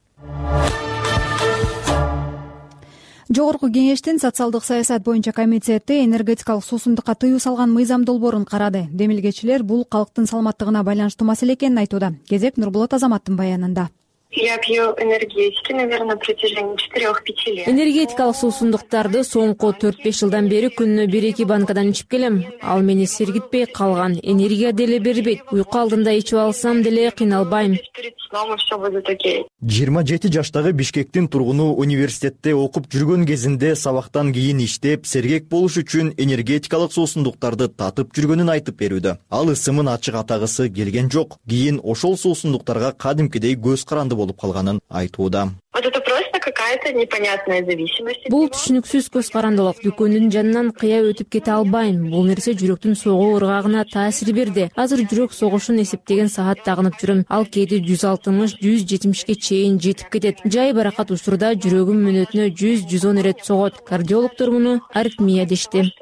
Жогорку кеңештин социалдык саясат боюнча комитети энергетикалык суусундукка тыюу салган мыйзам долбоорун карады. Демилгечилер бул калктын саламаттыгына байланыштуу маселе экенин айтууда. Кезек Нурбулат Азаматтын баянында. Я пью энергетики, наверное, на протяжении четырёх-пяти лет. Энергетикалык суусундуктарды соңку төрт-беш жылдан бери күнүнө бир-эки банкадан ичип келем. Ал мени сергитпей калган. Энергия деле бербейт. Уйку алдында ичип алсам деле кыйналбайм. жыйырма жети жаштагы Бишкектин тургуну университетте окуп жүргөн кезинде сабактан кийин иштеп, сергек болуш үчүн энергетикалык суусундуктарды татып жүргөнүн айтып берүүдө. Ал ысымын ачык атагысы келген жок. Кийин ошол суусундуктарга кадимкидей көз каранды болуп калганын айтууда. Вот это просто какая-то непонятная зависимость. Бул түшүнүксүз көз карандылык. Дүкөндүн жанынан кыя өтүп кете албайм. Бул нерсе жүрөктүн согуу ыргагына таасир берди. Азыр жүрөк согушун эсептеген саат тагынып жүрөм. Ал кээде жүз алтымыш жүз жетимишке чейин жетип кетет. Жай баракат учурда жүрөгүм мүнөтүнө жүз жүз он ирет согот. Кардиологдор муну аритмия дешти.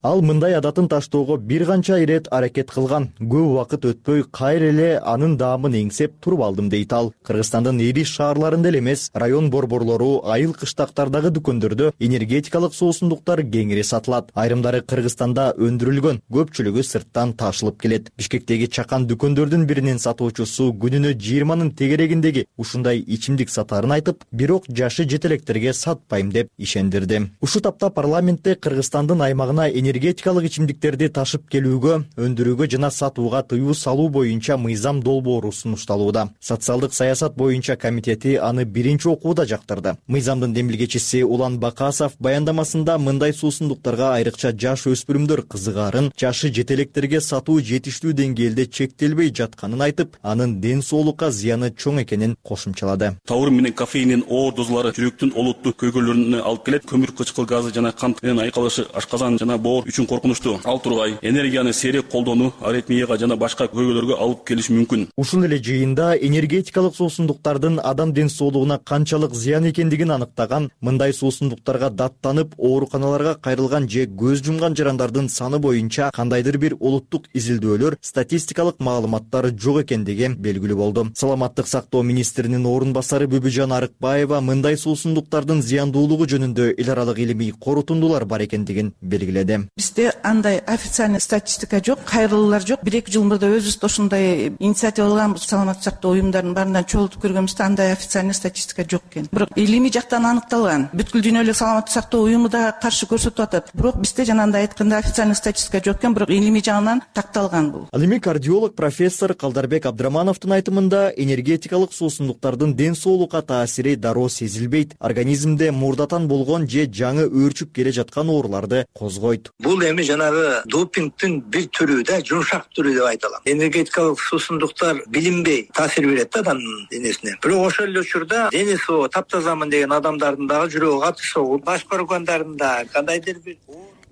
Ал мындай адатын таштоого бир канча ирет аракет кылган. Көп убакыт өтпөй кайра эле анын даамын эңсеп туруп алдым дейт ал. Кыргызстандын ири шаарларында эле эмес, район борборлору, айыл кыштактардагы дүкөндөрдө энергетикалык суусундуктар кеңири сатылат. Айрымдары Кыргызстанда өндүрүлгөн, көпчүлүгү сырттан ташылып келет. Бишкектеги чакан дүкөндөрдүн биринин сатуучусу күнүнө жыйырманын тегерегиндеги ушундай ичимдик сатаарын айтып, бирок жашы жетелектерге сатпайм деп ишендирди. Ушу тапта парламентте Кыргызстандын аймагына энергетикалык ичимдиктерди ташып келүүгө, өндүрүүгө жана сатууга тыюу салуу боюнча мыйзам долбоору сунушталууда. Социалдык саясат боюнча комитети аны биринчи окууда жактырды. Мыйзамдын демилгечиси Улан Бакасов баяндамасында мындай суусундуктарга айрыкча жаш өспүрүмдөр кызыгаарын, жашы жетелектерге сатуу жетиштүү деңгээлде чектелбей жатканын айтып, анын ден соолукка зыяны чоң экенин кошумчалады. Таурин менен кофеиндин оор дозалары жүрөктүн олуттуу көйгөйлөрүнө алып келет. Көмүр кычкыл газы жана кант менен айкалышы ашказан жана боор үчүн коркунучтуу. Ал тургай энергияны сейрек колдонуу аритмияга жана башка көйгөйлөргө алып келиши мүмкүн. Ушул эле жыйында энергетикалык суусундуктардын адам ден соолугуна канчалык зыян экендигин аныктаган, мындай суусундуктарга даттанып ооруканаларга кайрылган же көз жумган жарандардын саны боюнча кандайдыр бир улуттук изилдөөлөр, статистикалык маалыматтар жок экендиги белгилүү болду. Саламаттык сактоо министринин орун басары Бүбүжан Арыкбаева мындай суусундуктардын зыяндуулугу жөнүндө эл аралык илимий корутундулар тартуулар бар экендигин белгиледи. Бизде андай официальный статистика жок, кайрылуулар жок. бир эки жыл мурда өзүбүз да ушундай инициатива алганбыз. Саламаттык сактоо уюмдарынын баарынан чогултуп көргөнбүздө андай официальный статистика жок экен. Бирок илимий жактан аныкталган. Бүткүл дүйнөлүк саламаттык сактоо уюму да каршы көрсөтүп атат. Бирок бизде жанагындай айтканда официальный статистика жок экен, бирок илимий жагынан такталган бул. Ал эми кардиолог профессор Калдарбек Абдрамановдун айтымында энергетикалык суусундуктардын ден соолукка таасири дароо сезилбейт. Организмде мурдатан болгон же жаңы өөрчүп келе жаткан ооруларды козгойт. Бул эми жанагы допингдин бир түрү да, жумшак түрү деп айта алам. Энергетикалык суусундуктар билинбей таасир берет да адамдын денесине. Бирок ошол эле учурда денеси таптазамын деген адамдардын дагы жүрөгү катыш согуп, баш көргөндөрдүн да кандайдыр бир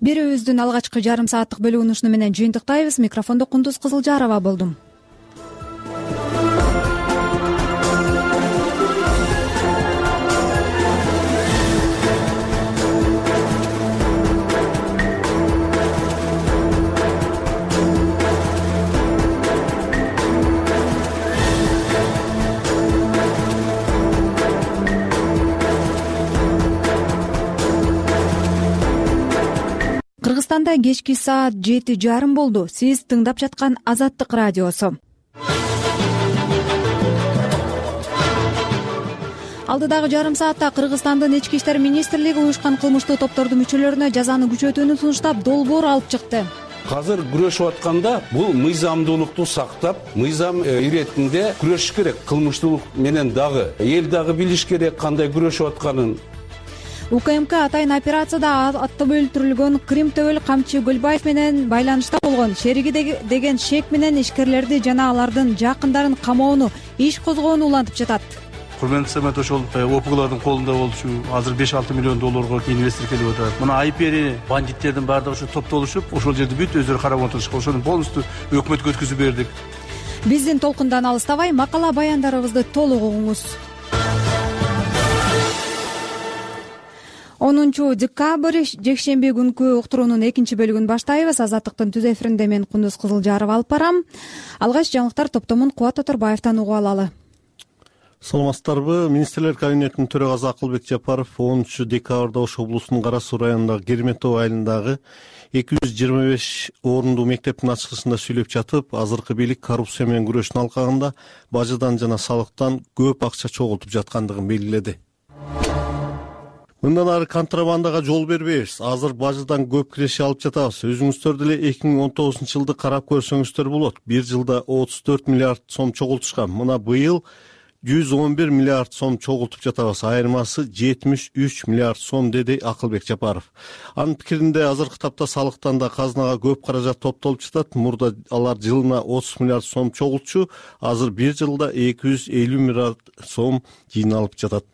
Берүүбүздүн алгачкы жарым сааттык бөлүгүн ушуну менен жыйынтыктайбыз. Микрофондо Кундуз Кызылжарова болдум. Кыргызстанда кечки саат жети жарым болду. Сиз тыңдап жаткан Азаттык радиосу. Алдыдагы жарым саатта Кыргызстандын ички иштер министрлиги уюшкан кылмыштуу топтордун мүчөлөрүнө жазаны күчөтүүнү сунуштап, долбоор алып чыкты. Азыр күрөшүп атканда бул мыйзамдуулукту сактап, мыйзам иретинде күрөшүш керек. Кылмыштуулук менен дагы эл дагы билиш керек кандай күрөшүп атканын. УКМК атайын операцияда аттып өлтүрүлгөн Крим Төбөл Камчы Гөлбаев менен байланышта болгон шериги деген шек менен ишкерлерди жана алардын жакындарын камоону, иш козгоону улантып жатат. Курмандуу Самат, ошол ОПГлардын колунда болчу азыр беш алты миллион долларга инвестор келип атат. Мына айпери бандиттердин баардыгы ошо топтолушуп, ошол жерди бүт өздөрү карап отурушкан. Ошону полностью өкмөткө өткүзүп бердик. Биздин толкундан алыстабай, макала баяндарыбызды толук угуңуз. онунчу декабрь жекшемби күнкү уктуруунун экинчи бөлүгүн баштайбыз. Азаттыктын түз эфиринде мен Кундуз Кызылжарова алып барам. Алгач жаңылыктар топтомун Кубат Оторбаевтан угуп алалы. Саламатсыздарбы? Министрлер кабинетинин төрагасы Акылбек Жапаров онунчу декабрда Ош облусунун Кара Суу районундагы Керметов айылындагы эки жүз жыйырма беш орунду мектептин ачылышында сүйлөп жатып, азыркы бийлик коррупция менен күрөштүн алкагында бажыдан жана салыктан көп акча чогултуп жаткандыгын белгиледи. Мындан ары контрабандага жол бербейбиз. Азыр бажыдан көп киреше алып жатабыз. Өзүңүздөр деле эки миң он тогузунчу жылды карап көрсөңүздөр болот. Бир жылда отуз төрт миллиард сом чогултушкан. Мына быйыл жүз он бир миллиард сом чогултуп жатабыз. Айырмасы жетимиш үч миллиард сом, деди Акылбек Жапаров. Анын пикиринде азыркы тапта салыктан да казынага көп каражат топтолуп жатат. Мурда алар жылына отуз миллиард сом чогултчу, азыр бир жылда эки жүз элүү миллиард сом жыйналып жатат.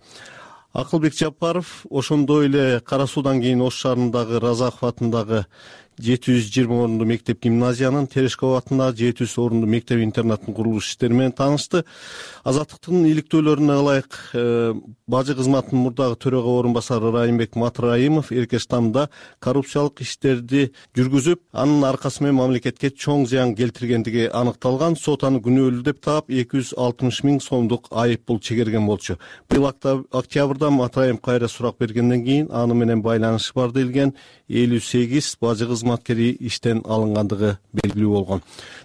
Акылбек Жапаров ошондой эле Кара Суудан кийин Ош шаарындагы Разаков атындагы жети жүз жыйырма орунду мектеп гимназиянын, Терешков атындагы жети жүз орунду мектеп интернаттын курулуш иштери менен таанышты. Азаттыктын иликтөөлөрүнө ылайык бажы кызматынын мурдагы төрага орун басары Райымбек Матраимов Эркештамда коррупциялык иштерди жүргүзүп, анын аркасы менен мамлекетке чоң зыян келтиргендиги аныкталган. Сот аны күнөөлүү деп таап эки жүз алтымыш миң сомдук айып пул чегерген болчу. Быйыл октябрда Матраимов кайра сурак бергенден кийин аны менен байланышы бар делген элүү сегиз бажы кызматкери иштен алынгандыгы белгилүү болгон.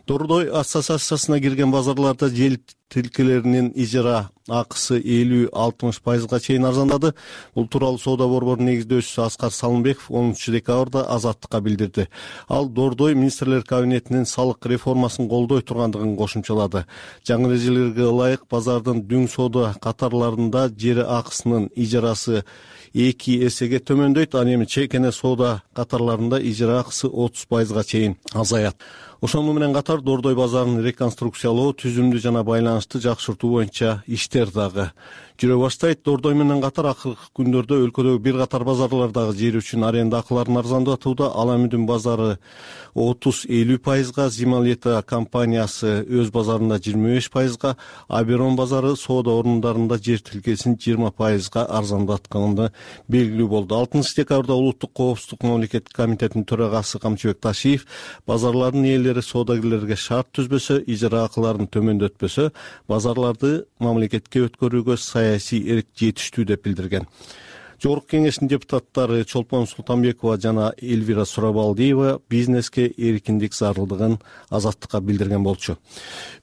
Дордой ассоциациясына кирген базарларда жер тилкелеринин ижара акысы элүү алтымыш пайызга чейин арзандады. Бул тууралуу соода борборунун негиздөөчүсү Аскар Салымбеков онунчу декабрда Азаттыкка билдирди. Ал Дордой министрлер кабинетинин салык реформасын колдой тургандыгын кошумчалады. Жаңы эрежелерге ылайык базардын дүң соода катарларында жер акысынын ижарасы эки эсеге төмөндөйт, ал эми чекене соода катарларында ижара акысы отуз пайызга чейин азаят. Ошону менен катар Дордой базарын реконструкциялоо, түзүмдү жана байланышты жакшыртуу боюнча иштер дагы жүрө баштайт. Дордой менен катар акыркы күндөрдө өлкөдөгү бир катар базарлардагы жер үчүн аренда акыларын арзандатууда. Аламүдүн базары отуз элүү пайызга, Зималета компаниясы өз базарында жыйырма беш пайызга, Аберон базары соода орундарында жер тилкесин жыйырма пайызга арзандатканы белгилүү болду. алтынчы декабрда Улуттук коопсуздук мамлекеттик комитетинин төрагасы Камчыбек Ташиев базарлардын ээлери соодагерлерге шарт түзбөсө, ижара акыларын төмөндөтпөсө, базарларды мамлекетке өткөрүүгө саясий эрк жетиштүү деп билдирген. Жогорку кеңештин депутаттары Чолпон Султанбекова жана Элвира Сурабалдиева бизнеске эркиндик зарылдыгын Азаттыкка билдирген болчу.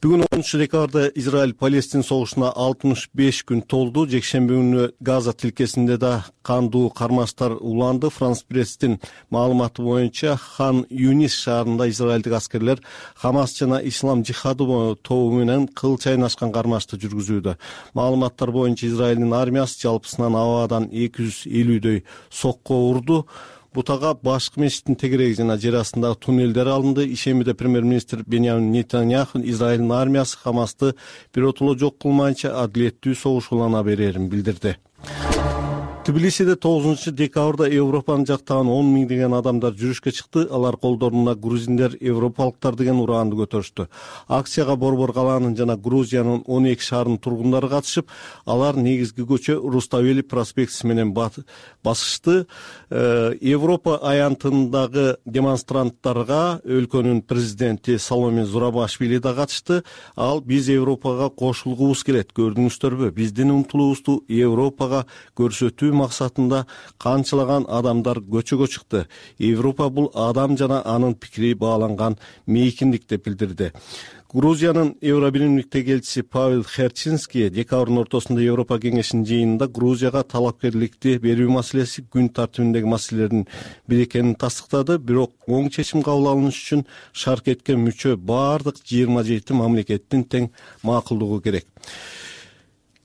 Бүгүн онунчу декабрда Израиль Палестин согушуна алтымыш беш күн толду. Жекшемби күнү Газа тилкесинде да кандуу кармаштар уланды. Франс пресстин маалыматы боюнча Хан Юнис шаарында израилдик аскерлер Хамас жана Ислам жихады тобу менен кыл чайнашкан кармашты жүргүзүүдө. Маалыматтар боюнча Израилдин армиясы жалпысынан абадан эки жүз элүүдөй сокко урду. Бутага башкы мечиттин тегереги жана жер астындагы туннелдер алынды. Ишембиде премьер-министр Беньямин Нетаньяху Израилдин армиясы Хамасты биротоло жок кылмайынча адилеттүү согуш улана берерин билдирди. Тбилисиде тогузунчу декабрда Европанын жактаган он миңдеген адамдар жүрүшкө чыкты. Алар колдоруна грузиндер, европалыктар деген ураанды көтөрүштү. Акцияга Борбор калаанын жана Грузиянын он эки шаарынын тургундары катышып, алар негизги көчө Руставели проспектиси менен басышты. Европа аянтындагы демонстранттарга өлкөнүн президенти Саломе Зурабашвили да катышты. Ал биз Европага кошулгубуз келет, көрдүңүздөрбү? Биздин умтулуубузду Европага көрсөтүү максатында канчалаган адамдар көчөгө чыкты. Европа бул адам жана анын пикири бааланган мейкиндик деп билдирди. Грузиянын Евробиримдиктеги элчиси Павел Херчинский декабрдын ортосунда Европа кеңешинин жыйынында Грузияга талапкерликти берүү маселеси күн тартибиндеги маселелердин бири экенин тастыктады. Бирок оң чечим кабыл алыныш үчүн шаркетке мүчө бардык жыйырма жети мамлекеттин тең макулдугу керек.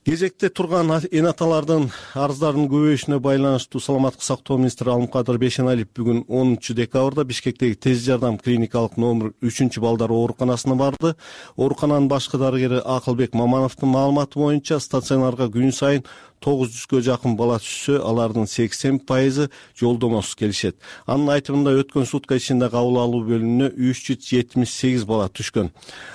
Кезекте турган эн аталардын арыздарынын көбөйүшүнө байланыштуу саламаттык сактоо министри Алымкадыр Бейшеналиев бүгүн онунчу декабрда Бишкектеги тез жардам клиникалык номер үчүнчү балдар ооруканасына барды. Оорукананын башкы дарыгери Акылбек Мамановдун маалыматы боюнча стационарга күн сайын тогуз жүзгө жакын бала түшсө, алардын сексен пайызы жолдомосуз келишет. Анын айтымында өткөн сутка ичинде кабыл алуу бөлүмүнө үч жүз жетимиш сегиз бала түшкөн.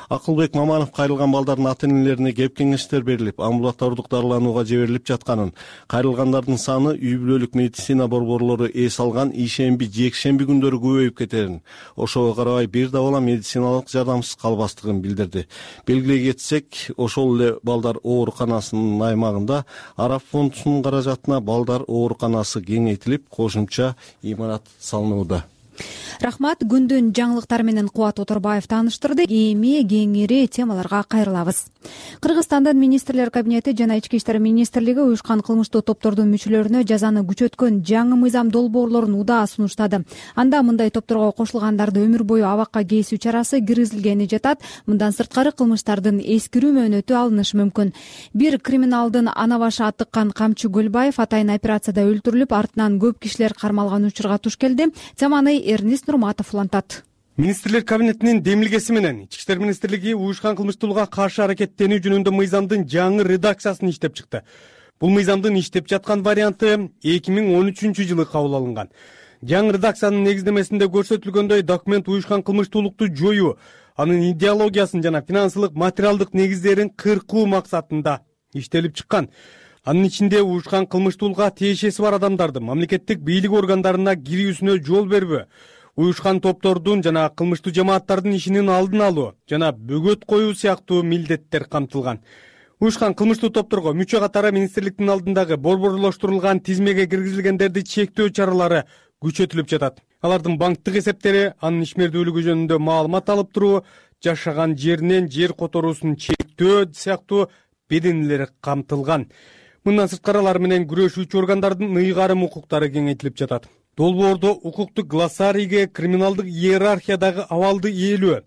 Акылбек Маманов кайрылган балдардын ата-энелерине кеп кеңештер берилип, амбулатордук дарыланууга жиберилип жатканын, кайрылгандардын саны үй бүлөлүк медицина борборлору эс алган ишемби, жекшемби күндөрү көбөйүп кетерин, ошого карабай бир да бала медициналык жардамсыз калбастыгын билдирди. Белгилей кетсек, ошол эле балдар ооруканасынын аймагында Араб фондунун каражатына балдар ооруканасы кеңейтилип, кошумча имарат салынууда. Рахмат. Күндүн жаңылыктары менен Кубат Оторбаев тааныштырды. Эми кеңири темаларга кайрылабыз. Кыргызстандын министрлер кабинети жана ички иштер министрлиги уюшкан кылмыштуу топтордун мүчөлөрүнө жазаны күчөткөн жаңы мыйзам долбоорлорун удаа сунуштады. Анда мындай топторго кошулгандарды өмүр бою абакка кесүү чарасы киргизилгени жатат. Мындан сырткары кылмыштардын эскирүү мөөнөтү алынышы мүмкүн. Бир криминалдын ана башы атыккан Камчы Көлбаев атайын операцияда өлтүрүлүп, артынан көп кишилер кармалган учурга туш келди. Теманы Эрнис Нурматов улантат. Министрлер кабинетинин демилгеси менен ички иштер министрлиги уюшкан кылмыштуулукка каршы аракеттенүү жөнүндө мыйзамдын жаңы редакциясын иштеп чыкты. Бул мыйзамдын иштеп жаткан варианты эки миң он үчүнчү жылы кабыл алынган. Жаңы редакциянын негиздемесинде көрсөтүлгөндөй, документ уюшкан кылмыштуулукту жоюу, анын идеологиясын жана финансылык материалдык негиздерин кыркуу максатында иштелип чыккан. Анын ичинде уюшкан кылмыштуулукка тиешеси бар адамдардын мамлекеттик бийлик органдарына кирүүсүнө жол бербөө, уюшкан топтордун жана кылмыштуу жамааттардын ишинин алдын алуу жана бөгөт коюу сыяктуу милдеттер камтылган. Уюшкан кылмыштуу топторго мүчө катары министрликтин алдындагы борборлоштурулган тизмеге киргизилгендерди чектөө чаралары күчөтүлүп жатат. Алардын банктык эсептери, анын ишмердүүлүгү жөнүндө маалымат алып туруу, жашаган жеринен жер которуусун чектөө сыяктуу беденелери камтылган. Мындан сырткары алар менен күрөшүүчү органдардын ыйгарым укуктары кеңейтилип жатат. Долбоордо укуктук глоссарийге криминалдык иерархиядагы абалды ээлөө,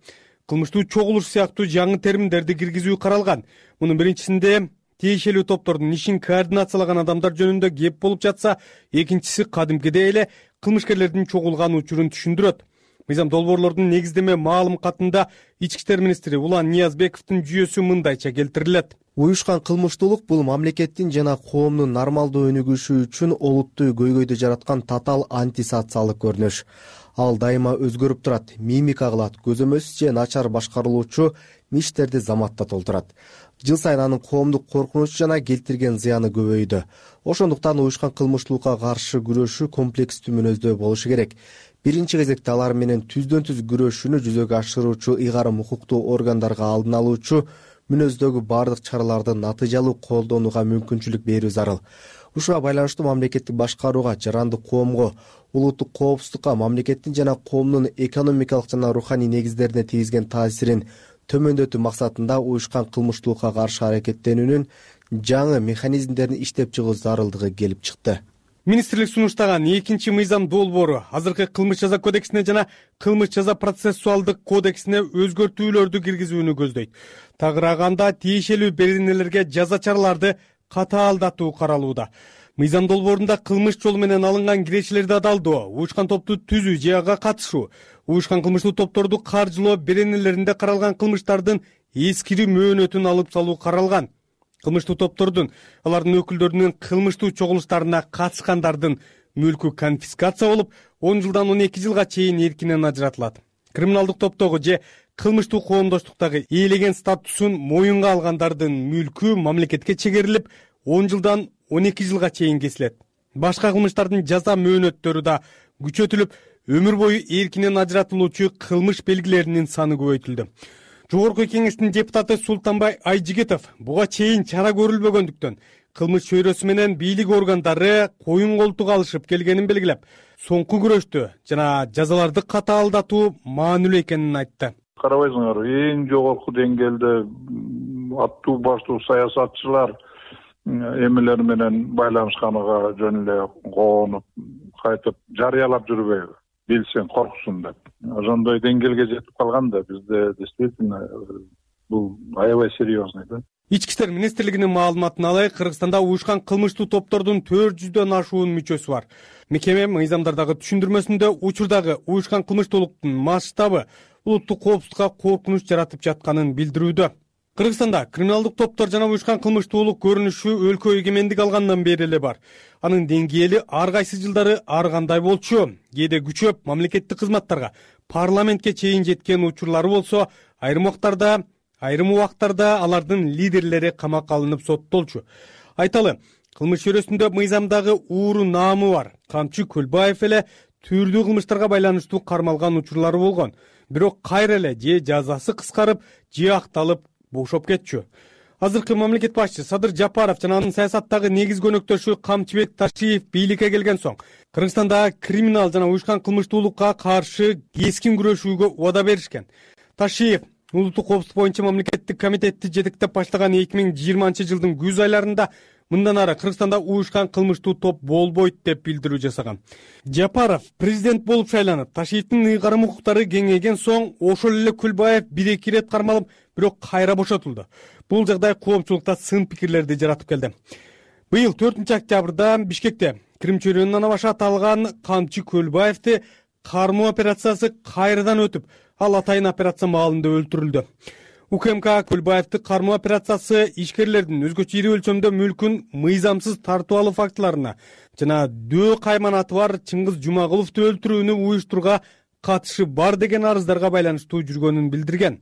кылмыштуу чогулуш сыяктуу жаңы терминдерди киргизүү каралган. Мунун биринчисинде тиешелүү топтордун ишин координациялаган адамдар жөнүндө кеп болуп жатса, экинчиси кадимкидей эле кылмышкерлердин чогулган учурун түшүндүрөт. Мыйзам долбоорлордун негиздеме маалым катында ички иштер министри Улан Ниязбековдун жүйөсү мындайча келтирилет. Уюшкан кылмыштуулук бул мамлекеттин жана коомдун нормалдуу өнүгүшү үчүн олуттуу көйгөйдү жараткан татаал антисоциалдык көрүнүш. Ал дайыма өзгөрүп турат, мимика кылат, көзөмөс же начар башкарылуучу миштерди заматта толтурат. Жыл сайын анын коомдук коркунуч жана келтирген зыяны көбөйдү. Ошондуктан уюшкан кылмыштуулукка каршы күрөшүү комплекстүү мүнөздүү болушу керек. Биринчи кезекте алар менен түздөн түз күрөшүүнү жүзөгө ашыруучу ыйгарым укуктуу органдарга алдын алуучу мүнөздөгү бардык чараларды натыйжалуу колдонууга мүмкүнчүлүк берүү зарыл. Ушуга байланыштуу мамлекеттик башкарууга, жарандык коомго, улуттук коопсуздукка, мамлекеттин жана коомдун экономикалык жана руханий негиздерине тийгизген таасирин төмөндөтүү максатында уюшкан кылмыштуулукка каршы аракеттенүүнүн жаңы механизмдерин иштеп чыгуу зарылдыгы келип чыкты. Министрлик сунуштаган экинчи мыйзам долбоору азыркы кылмыш жаза кодексине жана кылмыш жаза процессуалдык кодексине өзгөртүүлөрдү киргизүүнү көздөйт. Тагырааганда тиешелүү беренелерге жаза чараларды катаалдатуу каралууда. Мыйзам долбоорунда кылмыш жолу менен алынган кирешелерди адалдоо, уюшкан топту түзүү же ага катышуу, уюшкан кылмыштуу топторду каржылоо беренелеринде каралган кылмыштардын эскири мөөнөтүн алып салуу каралган. Кылмыштуу топтордун, алардын өкүлдөрүнүн кылмыштуу чогулуштарына катышкандардын мүлкү конфискация болуп, он жылдан он эки жылга чейин эркинен ажыратылат. Криминалдык топтогу же кылмыштуу коомдоштуктагы ээлеген статусун моюнга алгандардын мүлкү мамлекетке чегерилип, он жылдан он эки жылга чейин кесилет. Башка кылмыштардын жаза мөөнөттөрү да күчөтүлүп, өмүр бою эркинен ажыратылуучу кылмыш белгилеринин саны көбөйтүлдү. Жогорку кеңештин депутаты Султанбай Айжигитов буга чейин чара көрүлбөгөндүктөн кылмыш чөйрөсү менен бийлик органдары коюн колтук алышып келгенин белгилеп, соңку күрөштү жана жазаларды катаалдатуу маанилүү экенин айтты. Карабайсыңар, эң жогорку деңгээлде аттуу баштуу саясатчылар эмелер менен байланышканыга жөн эле коонуп, кайтып жарыялап жүрбөйбү, билсең корксун деп. Ошондой деңгээлге жетип калган да бизде действительно бул аябай серьезный да. Ички иштер министрлигинин маалыматына алайык, Кыргызстанда уюшкан кылмыштуу топтордун төрт жүздөн ашуун мүчөсү бар. Мекеме мыйзамдардагы түшүндүрмөсүндө учурдагы уюшкан кылмыштуулуктун масштабы улуттук коопсуздукка коркунуч жаратып жатканын билдирүүдө. Кыргызстанда криминалдык топтор жана уюшкан кылмыштуулук көрүнүшү өлкө эгемендик алгандан бери эле бар. Анын деңгээли ар кайсы жылдары ар кандай болчу, кээде күчөп мамлекеттик кызматтарга, парламентке чейин жеткен учурлары болсо, айрым убактарда, айрым убактарда алардын лидерлери камакка алынып соттолчу. Айталы, кылмыш чөйрөсүндө мыйзамдагы ууру наамы бар. Камчы Көлбаев эле түрдүү кылмыштарга байланыштуу кармалган учурлары болгон. Бирок кайра эле же жазасы кыскарып, же акталып бошоп кетчү. Азыркы мамлекет башчы Садыр Жапаров жана анын саясаттагы негизги өнөктөшү Камчыбек Ташиев бийликке келген соң Кыргызстанда криминал жана уюшкан кылмыштуулукка каршы кескин күрөшүүгө убада беришкен. Ташиев улуттук коопсуздук боюнча мамлекеттик комитетти жетектеп баштаган эки миң жыйырманчы жылдын күз айларында мындан ары Кыргызстанда уюшкан кылмыштуу топ болбойт деп билдирүү жасаган. Жапаров президент болуп шайланып, Ташиевдин ыйгарым укуктары кеңейген соң ошол эле Көлбаев бир-эки ирет кармалып, бирок кайра бошотулду. Бул жагдай коомчулукта сын пикирлерди жаратып келди. Быйыл төртүнчү октябрда Бишкекте Крим чөйрөнүнөн башы аталган Камчы Көлбаевди кармоо операциясы кайрадан өтүп, ал атайын операция маалында өлтүрүлдү. УКМК Көлбаевди кармоо операциясы ишкерлердин өзгөчө ири өлчөмдө мүлкүн мыйзамсыз тартып алуу фактыларына жана дөө кайманаты бар Чыңгыз Жумагуловду өлтүрүүнү уюштурууга катышы бар деген арыздарга байланыштуу жүргөнүн билдирген.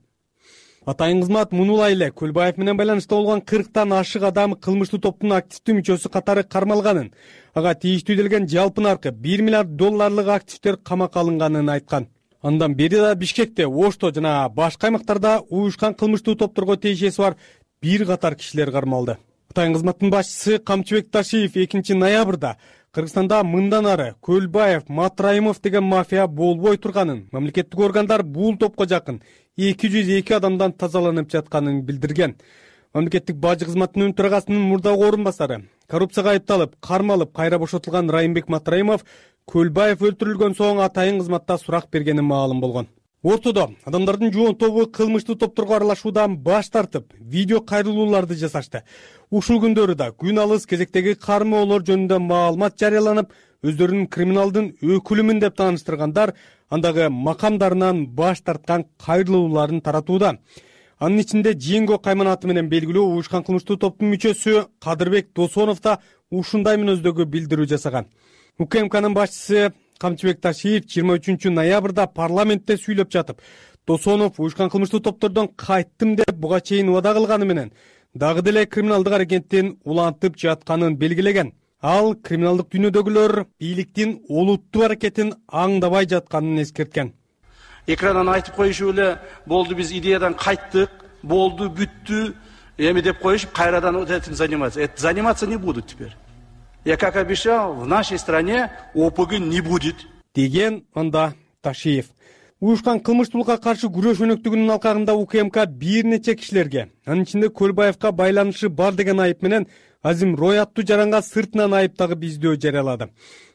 Атайын кызмат мунулай эле Көлбаев менен байланышта болгон кырктан ашык адам кылмыштуу топтун активдүү мүчөсү катары кармалганын, ага тийиштүү делген жалпы наркы бир миллиард долларлык активдер камакка алынганын айткан. Андан бери да Бишкекте, Ошто жана башка аймактарда уюшкан кылмыштуу топторго тиешеси бар бир катар кишилер кармалды. Атайын кызматтын башчысы Камчыбек Ташиев экинчи ноябрда Кыргызстанда мындан ары Көлбаев, Матраимов деген мафия болбой турганын, мамлекеттик органдар бул топко жакын эки жүз эки адамдан тазаланып жатканын билдирген. Мамлекеттик бажы кызматынын төрагасынын мурдагы орун басары, коррупцияга айыпталып, кармалып, кайра бошотулган Райымбек Матраимов Көлбаев өлтүрүлгөн соң атайын кызматта сурак бергени маалым болгон. Ортодо адамдардын жоон тобу кылмыштуу топторго аралашуудан баш тартып, видео кайрылууларды жасашты. Ушул күндөрү да күн алыс кезектеги кармоолор жөнүндө маалымат жарыяланып, өздөрүнүн криминалдын өкүлүмүн деп тааныштыргандар андагы макамдарынан баш тарткан кайрылууларын таратууда. Анын ичинде Жеңго кайманаты менен белгилүү уюшкан кылмыштуу топтун мүчөсү Кадырбек Досонов да ушундай мүнөздөгү билдирүү жасаган. УКМКнын башчысы Камчыбек Ташиев жыйырма үчүнчү ноябрда парламентте сүйлөп жатып, Досонов уюшкан кылмыштуу топтордон кайттым деп буга чейин убада кылганы менен дагы деле криминалдык аракеттин улантып жатканын белгилеген. Ал криминалдык дүйнөдөгүлөр бийликтин олуттуу аракетин аңдабай жатканын эскерткен. Экрандан айтып коюшу эле болду, биз идеядан кайттык, болду, бүттү, эми деп коюшуп, кайрадан этим заниматься. Это заниматься не будут теперь. Я как обещал, в нашей стране ОПГ не будет деген анда Ташиев. Уюшкан кылмыштуулукка каршы күрөш өнөктүгүнүн алкагында УКМК бир нече кишилерге, анын ичинде Көлбаевка байланышы бар деген айып менен Азим Рой аттуу жаранга сыртынан айып тагып издөө жарыялады.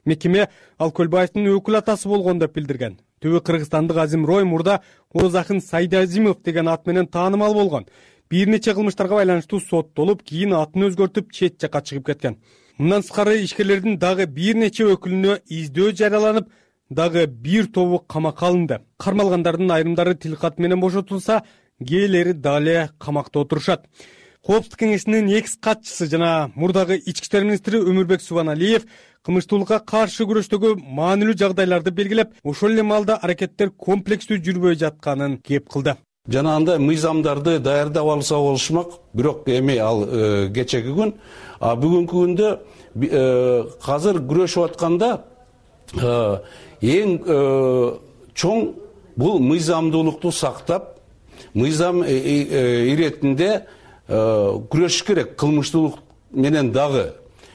Мекеме ал Көлбаевдин өкүл атасы болгон деп билдирген. Түбү кыргызстандык Азим Рой мурда Орозакын Сайдазимов деген ат менен таанымал болгон. Бир нече кылмыштарга байланыштуу соттолуп, кийин атын өзгөртүп чет жакка чыгып кеткен. Мындан сырткары ишкерлердин дагы бир нече өкүлүнө издөө жарыяланып, дагы бир тобу камакка алынды. Кармалгандардын айрымдары тилкат менен бошотулса, кээрлери дале камакта отурушат. Коопсуздук кеңешинин экс катчысы жана мурдагы ички иштер министри Өмүрбек Субаналиев кылмыштуулукка каршы күрөштөгү маанилүү жагдайларды белгилеп, ошол эле маалда аракеттер комплекстүү жүрбөй жатканын кеп кылды. Жана андай мыйзамдарды даярдап алса болушмак, бирок эми ал кечеги күн, а бүгүнкү күндө азыр күрөшүп атканда эң чоң бул мыйзамдуулукту сактап, мыйзам иретинде күрөшүш керек кылмыштуулук менен дагы.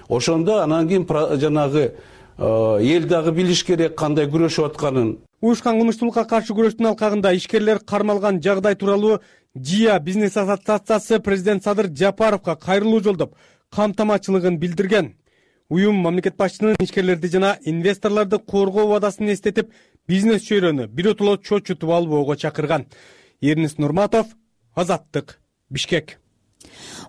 Ошондо анан кийин жанагы эл дагы билиш керек кандай күрөшүп атканын. Уюшкан кылмыштуулукка каршы күрөштүн алкагында ишкерлер кармалган жагдай тууралуу ЖИА бизнес ассоциациясы президент Садыр Жапаровго кайрылуу жолдоп, камтамачылыгын билдирген. Уюм мамлекет башчысынын ишкерлерди жана инвесторлорду коргоо убадасын эстетип, бизнес чөйрөнү биротоло чочутуп албоого чакырган. Эрнис Нурматов, Азаттык, Бишкек.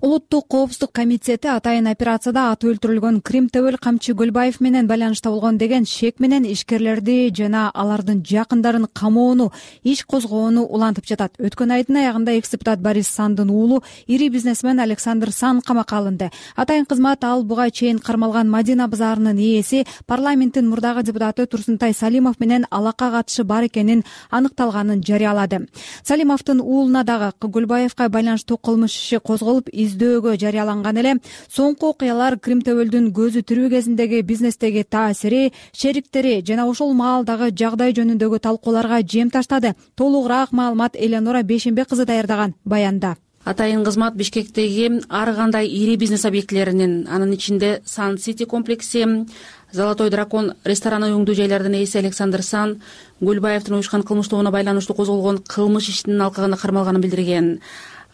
Улуттук коопсуздук комитети атайын операцияда аты өлтүрүлгөн Крим Төбөл Камчы Көлбаев менен байланышта болгон деген шек менен ишкерлерди жана алардын жакындарын камоону, иш козгоону улантып жатат. Өткөн айдын аягында экс-депутат Борис Сандын уулу, ири бизнесмен Александр Сан камакка алынды. Атайын кызмат ал буга чейин кармалган Мадина базарынын ээси, парламенттин мурдагы депутаты Турсунтай Салимов менен алакка катышы бар экенин аныкталганын жарыялады. Салимовдун уулуна дагы Көлбаевга байланыштуу кылмыш иши козголуп, издөөгө жарыяланган эле. Соңку окуялар Крим Төбөлдүн көзү тирүү кезиндеги бизнестеги таасири, шериктери жана ошол маалдагы жагдай жөнүндөгү талкууларга жем таштады. Толугураак маалымат Эленора Бейшембек кызы даярдаган баянда. Атайын кызмат Бишкектеги ар кандай ири бизнес объектилеринин, анын ичинде Сан Сити комплекси, Золотой дракон рестораны өңдүү жайлардын ээси Александр Сан Көлбаевдин уюшкан кылмыштуулугуна байланыштуу козголгон кылмыш ишинин алкагында кармалганын билдирген.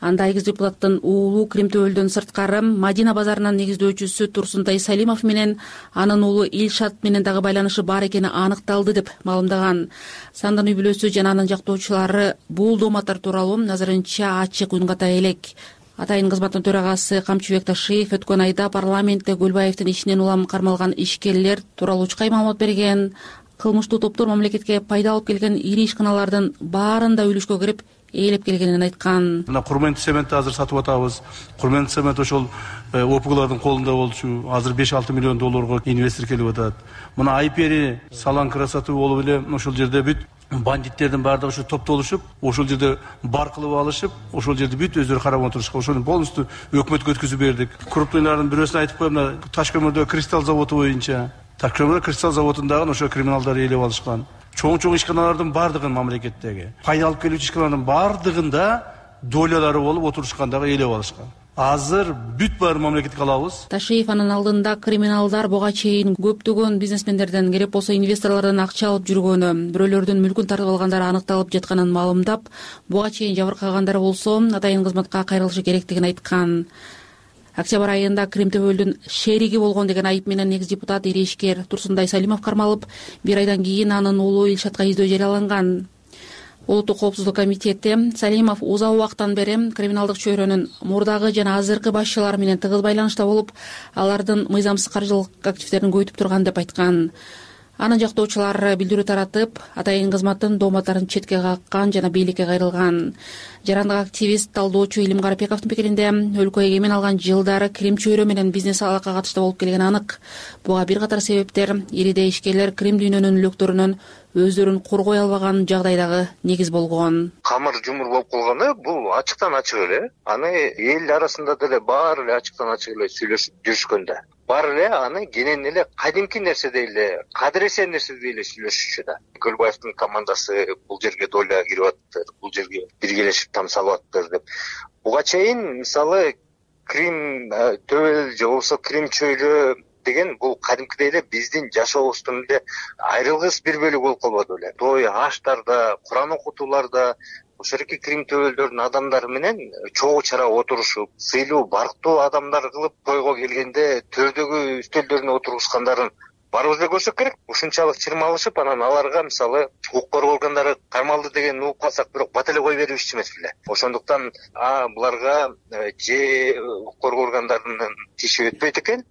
Анда экс депутаттын уулу Крим Төбөлдөн сырткары Мадина базарынын негиздөөчүсү Турсунтай Салимов менен анын уулу Илшат менен дагы байланышы бар экени аныкталды деп маалымдаган. Сандын үй бүлөсү жана анын жактоочулары бул дооматтар тууралуу азырынча ачык унгата элек. Атайын кызматтын төрагасы Камчыбек Ташиев өткөн айда парламентте Көлбаевдин ишинен улам кармалган ишкерлер тууралуу чукай маалымат берген. Кылмыштуу топтор мамлекетке пайда алып келген ири ишканалардын баарында үлүшкө кирип ээлеп келгенин айткан. Мына Курмент цементти азыр сатып атабыз. Курмент цемент ошол ОПГлардын колунда болчу. Азыр беш алты миллион долларга инвестор келип атат. Мына Айпери салан красоту болуп эле ошол жерде бүт бандиттердин баардыгы ушу топтолушуп, ошол жерде бар кылып алышып, ошол жерде бүт өздөрү карап отурушкан. Ошону полностью өкмөткө өткөзүп бердик. Крупныйлардын бирөөсүн айтып коем, мына Ташкөмүрдө кристалл заводу боюнча. Ташкөмүрдө кристалл заводундагы ошо криминалдар ээлеп алышкан. Чоң-чоң ишканалардын бардыгын мамлекеттеги пайда алып келүүчү ишканалардын бардыгында долялары болуп отурушкандагы ээлеп алышкан. Азыр бүт баарын мамлекетке алабыз. Ташиев анын алдында криминалдар буга чейин көптөгөн бизнесмендерден, керек болсо инвесторлордон акча алып жүргөнү, бирөөлөрдүн мүлкүн тартып алгандары аныкталып жатканын маалымдап, буга чейин жабыркагандар болсо атайын кызматка кайрылышы керектигин айткан. Октябрь айында Крим Төбөлдүн шериги болгон деген айып менен экс депутат ири ишкер Турсунтай Салимов кармалып, бир айдан кийин анын уулу Илшатка издөө жарыяланган. Улуттук коопсуздук комитети Салимов узак убакыттан бери криминалдык чөйрөнүн мурдагы жана азыркы башчылары менен тыгыз байланышта болуп, алардын мыйзамсыз каржылык активдерин көбөйтүп турган деп айткан. Анын жактоочулары билдирүү таратып, атайын кызматтын дооматтарын четке каккан жана бийликке кайрылган. Жарандык активист, талдоочу Илим Карапековдун пикиринде, өлкө эгемен алган жылдары Крим чөйрө менен бизнес алака катышта болуп келгени анык. Буга бир катар себептер ириде ишкерлер Крим дүйнөнүн үлөктөрүнөн өздөрүн коргой албаган жагдайдагы негиз болгон. Камыр жумур болуп калганы бул ачыктан ачык эле. Аны эл арасында деле баары эле ачыктан ачык эле сүйлөшүп жүрүшкөндө. Бар эле аны кенен эле кадимки нерседей эле, кадыресе нерседей эле сүйлөшүшү да. Көлбаевдин командасы бул жерге доля кирип атты, бул жерге биргелешип там салып аттыр деп. Буга чейин мисалы Крим Төбөл же болбосо Крим чөйрө деген бул кадимкидей эле биздин жашообуздун эле айрылгыс бир бөлүгү болуп калбады беле. Той аштарда, Куран окутууларда ошол эки Крим төбөлдөрүнүн адамдары менен чогуу чара отурушуп, сыйлуу барктуу адамдар кылып тойго келгенде төрдөгү үстөлдөрүнө отургузгандарын баарыбыз эле көрсөк керек. Ушунчалык чырмалышып, анан аларга мисалы укук коргоо органдары кармалды деген угуп калсак, бирок бат эле кое беришчү эмес беле. Ошондуктан а буларга же укук коргоо органдарынын тиши өтпөйт экен,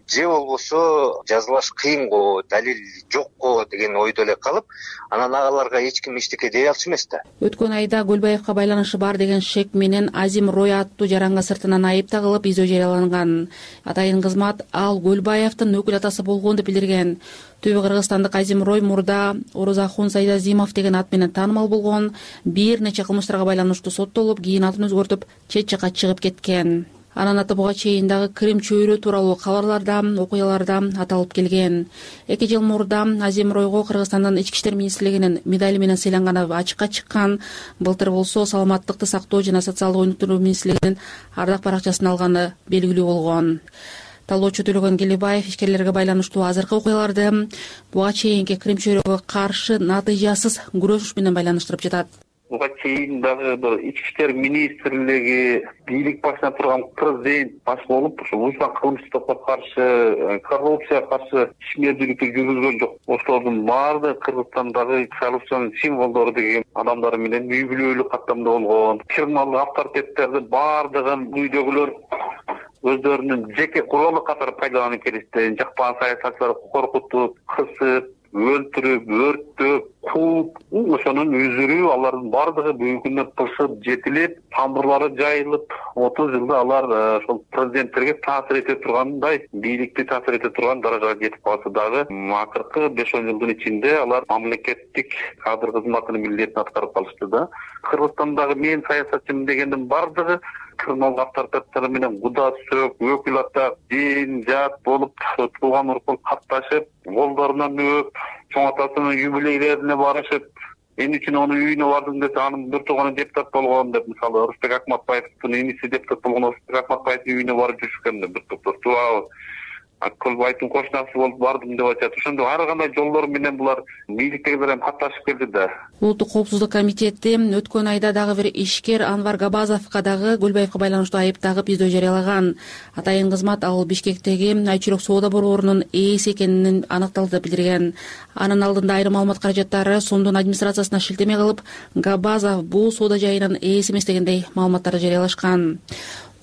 же болбосо жазылаш кыйын го, далил жок го деген ойдо эле калып, анан агаларга эч ким эчтеке дей алчу эмес да. Өткөн айда Көлбаевка байланышы бар деген шек менен Азим Рой аттуу жаранга сыртынан айып тагылып издөө жарыяланган. Атайын кызмат ал Көлбаевдин өкүл атасы болгон деп билдирген. Түбү кыргызстандык Азим Рой мурда Орозахун Сайдазимов деген ат менен таанымал болгон, бир нече кылмыштарга байланыштуу соттолуп, кийин атын өзгөртүп, чет жакка чыгып кеткен. Анын аты буга чейин дагы Крим чөйрө тууралуу кабарларда, окуяларда аталып келген. Эки жыл мурда Азим Ройго Кыргызстандын ички иштер министрлигинин медали менен сыйланганы ачыкка чыккан. Былтыр болсо саламаттыкты сактоо жана социалдык өнүктүрүү министрлигинин ардак баракчасын алганы белгилүү болгон. Талоочу Төлөгөн Келебаев ишкерлерге байланыштуу азыркы окуяларды буга чейинки Крим чөйрөгө каршы натыйжасыз күрөшүш менен байланыштырып жатат. Буга чейин дагы бир ички иштер министрлиги бийлик башына турган президент баш болуп, ошо уюшкан кылмыштыкка каршы, коррупцияга каршы ишмердүүлүктү жүргүзгөн жок. Ошолордун баардыгы Кыргызстандагы коррупциянын символдору деген адамдар менен үй бүлөлүк каттамда болгон. Криминалдык авторитеттерди баардыгын үйдөгүлөр өздөрүнүн жеке куралы катары пайдаланып келишти. Жакпаган саясатчыларды коркутуп, кысып, өлтүрүп, өрттөп, кууп, ошонун үзүрү алардын баардыгы бүгүнкү күндө тышып, жетилип, тамырлары жайылып, отуз жылда алар ошол президенттерге таасир эте тургандай, бийликти таасир эте турган даражага жетип калса дагы, акыркы беш он жылдын ичинде алар мамлекеттик кадр кызматынын милдетин аткарып калышты да. Кыргызстандагы мен саясатчымын дегендин баардыгы криминалдык авторитеттер менен куда сөк, өкүл ата, дин, жат болуп, тууган урукка катташып, колдорунан өп, чоң атасынын юбилейлерине барышып, эмне үчүн анын үйүнө бардым десе, анын бир тууганы депутат болгон деп, мисалы, Рустек Акматбаевдин иниси депутат болгон Рустек Акматбаевдин үйүнө барып жүрүшкөн бир топтор. Туурабы? Көлбаевдин кошунасы болуп бардым деп айтат. Ошондо ар кандай жолдор менен булар бийликтегилер эми катташып келди да. Улуттук коопсуздук комитети өткөн айда дагы бир ишкер Анвар Габазовго дагы Көлбаевге байланыштуу айып тагып издөө жарыялаган. Атайын кызмат ал Бишкектеги Айчүрөк соода борборунун ээси экенин аныкталды деп билдирген. Анын алдында айрым маалымат каражаттары сомдун администрациясына шилтеме кылып, Габазов бул соода жайынын ээси эмес дегендей маалыматтарды жарыялашкан.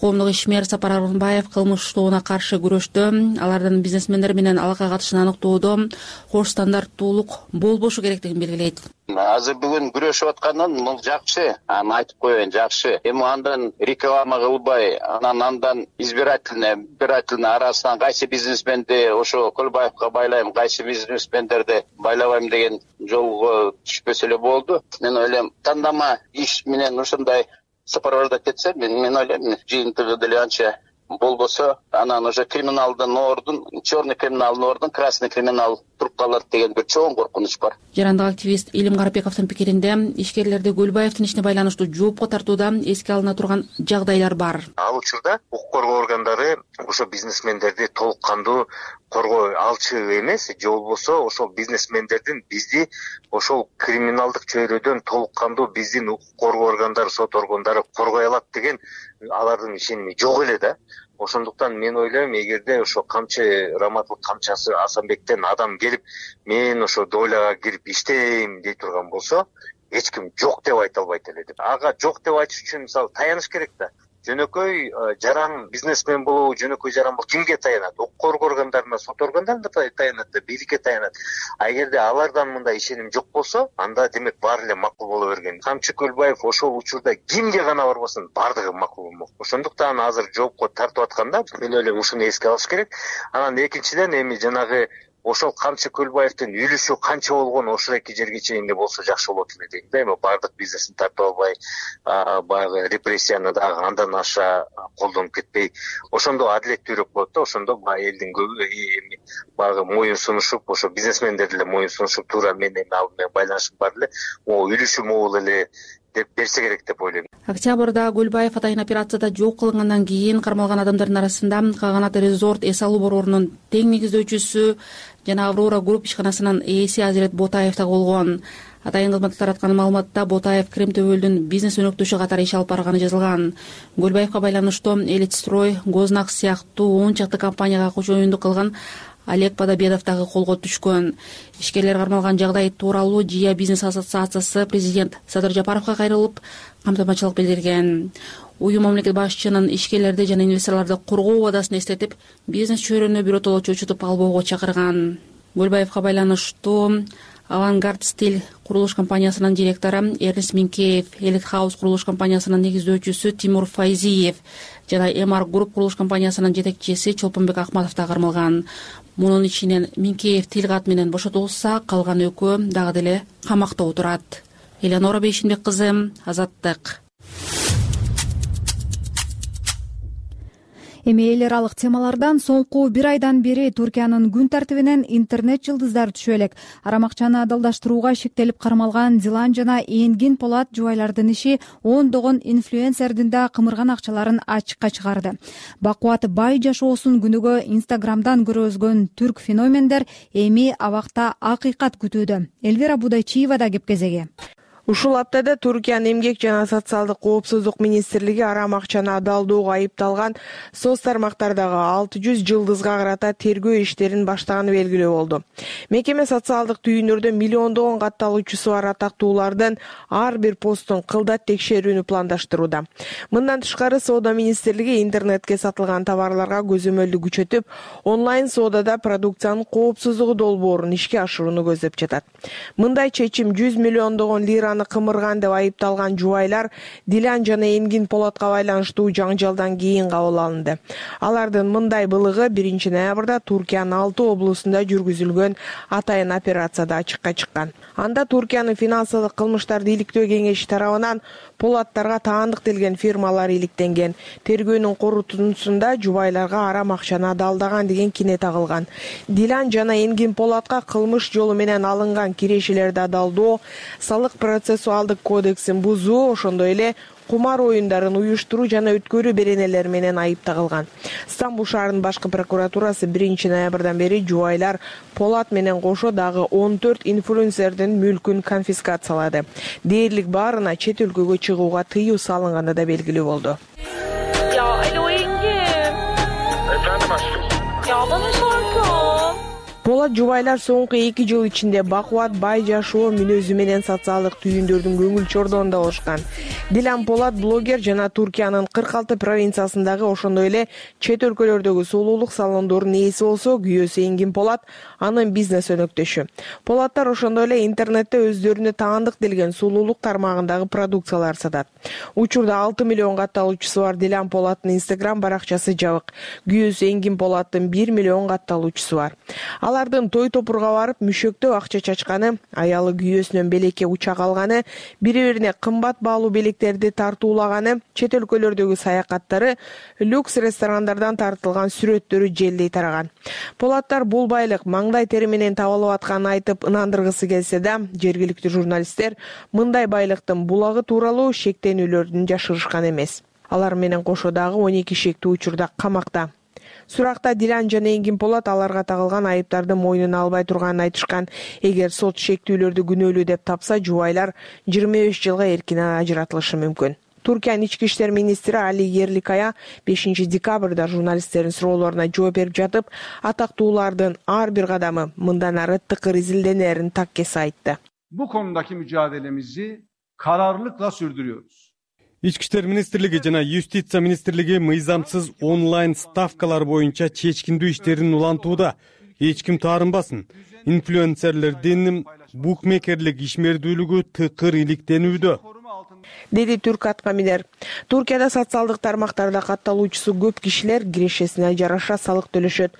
Коомдук ишмер Сапар Арынбаев кылмыш тобуна каршы күрөштө алардын бизнесмендер менен алака катышын аныктоодо кош стандарттуулук болбошу керектигин белгилейт. Азыр бүгүн күрөшүп аткандан бул жакшы, аны айтып коеюн, жакшы. Эми андан реклама кылбай, анан андан избирательный, избирательный арасынан кайсы бизнесменди ошо Көлбаевга байлайм, кайсы бизнесмендерди байлабайм деген жолго түшпөсө эле болду. Мен ойлойм, тандама иш менен ушундай сапарбарда кетсе, мен мен ойлойм, жыйынтыгы деле анча болбосо, анан уже криминалдын ордун, черный криминалдын ордун красный криминал туруп калат деген бир чоң коркунуч бар. Жарандык активист Илим Карапбековдун пикиринде, ишкерлерди Көлбаевдин ишине байланыштуу жоопко тартууда эске алына турган жагдайлар бар. Ал учурда укук коргоо органдары ошо бизнесмендерди толук кандуу коргой алчу эмес, же болбосо ошол бизнесмендердин бизди ошол криминалдык чөйрөдөн толук кандуу биздин укук коргоо органдары, сот органдары коргой алат деген алардын ишеними жок эле да. Ошондуктан мен ойлойм, эгерде ошо камчы Раматылык камчасы Асанбектен адам келип, мен ошо дойлага кирип иштейм дей турган болсо, эч ким жок деп айта албайт эле деп. Ага жок деп айтыш үчүн мисалы таяныш керек да. Жөнөкөй жаран бизнесмен болобу, жөнөкөй жаран болобу кимге таянат? Укук коргоо органдарына, сот органдарына таянат да, бийликке таянат. А эгерде алардан мындай ишеним жок болсо, анда демек баары эле макул боло берген. Камчы Көлбаев ошол учурда кимге гана барбасын, баардыгы макул болмок. Ошондуктан азыр жоопко тартып атканда, мен ойлойм ушуну эске алыш керек. Анан экинчиден эми жанагы ошол Камчы Көлбаевдин үлүшү канча болгон ошол эки жерге чейин эле болсо жакшы болот эле дейм да. Эми баардык бизнесин тартып албай, баягы репрессияны дагы андан аша колдонуп кетпей, ошондо адилеттүүрөөк болот да. Ошондо баягы элдин көбү эми баягы моюн сунушуп, ошо бизнесмендер деле моюн сунушуп, туура мен эми ал менен байланышым бар эле, могу үлүшү могул эле деп берсе керек деп ойлойм. Октябрда Көлбаев атайын операцияда жок кылынгандан кийин кармалган адамдардын арасында Каганат резорт эс алуу борборунун тең негиздөөчүсү жана Аврора групп ишканасынын ээси Азирет Ботаев да болгон. Атайын кызмат тараткан маалыматта Ботаев Крем Төбөлдүн бизнес өнөктөшү катары иш алып барганы жазылган. Көлбаевка байланыштуу Элитстрой, Гознак сыяктуу он чакты компанияга кошоюндук кылган Олег Подобедов дагы колго түшкөн. Ишкерлер кармалган жагдай тууралуу Жия бизнес ассоциациясы президент Садыр Жапаровго кайрылып, камтамачылык билдирген. Уюм мамлекет башчынын ишкерлерди жана инвесторлорду коргоо убадасын эстетип, бизнес чөйрөнү биротоло чочутуп албоого чакырган. Көлбаевка байланыштуу Авангард Стиль курулуш компаниясынын директору Эрнест Минкеев, Элит Хаус курулуш компаниясынын негиздөөчүсү Тимур Файзиев жана Эмар групп курулуш компаниясынын жетекчиси Чолпонбек Акматов да кармалган. Мунун ичинен Минкеев тил кат менен бошотулса, калган экөө дагы деле камакта отурат. Элеонора Бейшинбек кызы, Азаттык. Эми эл аралык темалардан соңку бир айдан бери Туркиянын күн тартибинен интернет жылдыздары түшө элек. Арам акчаны адалдаштырууга шектелип кармалган Дилан жана Энгин Полат жубайлардын иши ондогон инфлюенсердин да кымырган акчаларын ачыкка чыгарды. Бакубат бай жашоосун күнүгө Инстаграмдан көргөзгөн түрк феномендер эми абакта акыйкат күтүүдө. Элвира Будайчиева да кеп кезеги. Ушул аптада Туркиянын эмгек жана социалдык коопсуздук министрлиги арам акчаны адалдоого айыпталган соц тармактардагы алты жүз жылдызга карата тергөө иштерин баштаганы белгилүү болду. Мекеме социалдык түйүндөрдө миллиондогон катталуучусу бар атактуулардын ар бир постун кылдат текшерүүнү пландаштырууда. Мындан тышкары соода министрлиги интернетке сатылган товарларга көзөмөлдү күчөтүп, онлайн соодада продукциянын коопсуздугу долбоорун ишке ашырууну көздөп жатат. Мындай чечим жүз миллиондогон лираны кымырган деп айыпталган жубайлар Дилан жана Энгин Полатка байланыштуу жаңжалдан кийин кабыл алынды. Алардын мындай былыгы биринчи ноябрда Туркиянын алты облусунда жүргүзүлгөн атайын операцияда ачыкка чыккан. Анда Туркиянын финансылык кылмыштарды иликтөө кеңеши тарабынан Полаттарга таандыктелген фирмалар иликтенген. Тергөөнүн корутундусунда жубайларга арам акчаны адалдаган деген кине тагылган. Дилан жана Энгин Полатка кылмыш жолу менен алынган кирешелерди адалдоо, салык процессуалдык кодексин бузуу, ошондой эле кумар оюндарын уюштуруу жана өткөрүү беренелери менен айып тагылган. Стамбул шаарынын башкы прокуратурасы биринчи ноябрдан бери жубайлар Полат менен кошо дагы он төрт инфлюенсердин мүлкүн конфискациялады. Дээрлик баарына чет өлкөгө чыгууга тыюу салынганы да белгилүү болду. Полат жубайлар соңку эки жыл ичинде бакубат бай жашоо мүнөзү менен социалдык түйүндөрдүн көңүл чордонунда болушкан. Дилан Полат блогер жана Туркиянын кырк алты провинциясындагы ошондой эле чет өлкөлөрдөгү сулуулук салондорунун ээси болсо, күйөөсү Энгин Полат анын бизнес өнөктөшү. Полаттар ошондой эле интернетте өздөрүнө таандыктелген сулуулук тармагындагы продукциялар сатат. Учурда алты миллион катталуучусу бар Дилан Полаттын Инстаграм баракчасы жабык. Күйөөсү Энгин Полаттын бир миллион катталуучусу бар. Алардын той топурга барып мүшөктөө акча чачканы, аялы күйөөсүнөн белекке учак алганы, бири-бирине кымбат баалуу белектерди тартуулаганы, чет өлкөлөрдөгү саякаттары, люкс ресторандардан тартылган сүрөттөрү желдей тараган. Полаттар бул байлык маңдай тери менен табылып атканын айтып ынандыргысы келсе да, жергиликтүү журналисттер мындай байлыктын булагы тууралуу шектенүүлөрдүн жашырышкан эмес. Алар менен кошо дагы он эки шектүү учурда камакта. Суракта Дилан жана Энгин Полат аларга тагылган айыптарды мойнуна албай турганын айтышкан. Эгер сот шектүүлөрдү күнөөлүү деп тапса, жубайлар жыйырма беш жылга эркинен ажыратылышы мүмкүн. Туркиянын ички иштер министри Али Ерликая бешинчи декабрда журналисттердин суроолоруна жооп берип жатып, атактуулардын ар бир кадамы мындан ары тыкыр изилденерин так кесе айтты. Bu konudaki mücadelemizi kararlılıkla sürdürüyoruz. Ички иштер министрлиги жана Юстиция министрлиги мыйзамсыз онлайн ставкалар боюнча чечкиндүү иштерин улантууда. Эч ким таарынбасын. Инфлюенсерлердин букмекерлик ишмердүүлүгү тыкыр иликтенүүдө, деди түрк аткаминер. Туркияда социалдык тармактарда катталуучусу көп кишилер кирешесине жараша салык төлөшөт.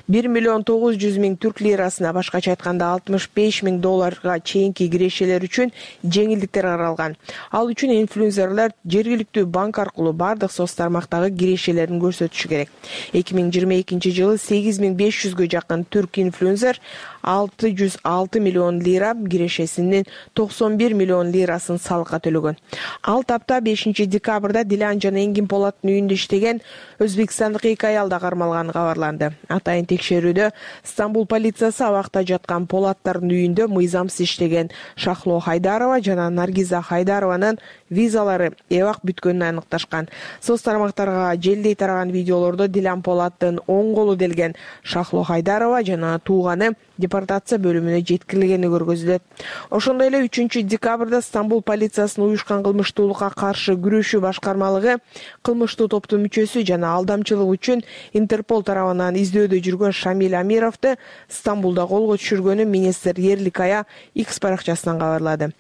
бир миллион тогуз жүз миң түрк лирасына, башкача айтканда алтымыш беш миң долларга чейинки кирешелер үчүн жеңилдиктер каралган. Ал үчүн инфлюенсерлер жергиликтүү банк аркылуу бардык соц тармактагы кирешелерин көрсөтүшү керек. эки миң жыйырма экинчи жылы сегиз миң беш жүзгө жакын түрк инфлюенсер алты жүз алты миллион лира, кирешесинин токсон бир миллион лирасын салыкка төлөгөн. Ал тапта бешинчи декабрда Дилан жана Энгин Полаттын үйүндө иштеген өзбекстандык эки аял да кармалганы кабарланды. Атайын текшерүүдө Стамбул полициясы абакта жаткан Полаттардын үйүндө мыйзамсыз иштеген Шахло Хайдарова жана Наргиза Хайдарованын визалары эбак бүткөнүн аныкташкан. Соц тармактарга желдей тараган видеолордо Дилан Полаттын оң колу делген Шахло Хайдарова жана тууганы депортация бөлүмүнө жеткирилгени көргөзүлөт. Ошондой эле үчүнчү декабрда Стамбул полициясынын уюшкан кылмыштуулукка каршы күрөшүү башкармалыгы кылмыштуу топтун мүчөсү жана алдамчылык үчүн Интерпол тарабынан издөөдө жүргөн Шамиль Амировду Стамбулда колго түшүргөнүн министр Ерлик Ая X баракчасынан кабарлады.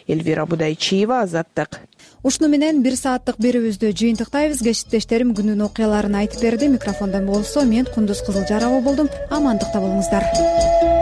Эльвира Будайчиева, Азаттык. Ушуну менен бир сааттык берүүбүздү жыйынтыктайбыз. Кесиптештерим күнүнүн окуяларын айтып берди. Микрофондон болсо мен Кундуз Кызылжарова болдум. Амандыкта болуңуздар.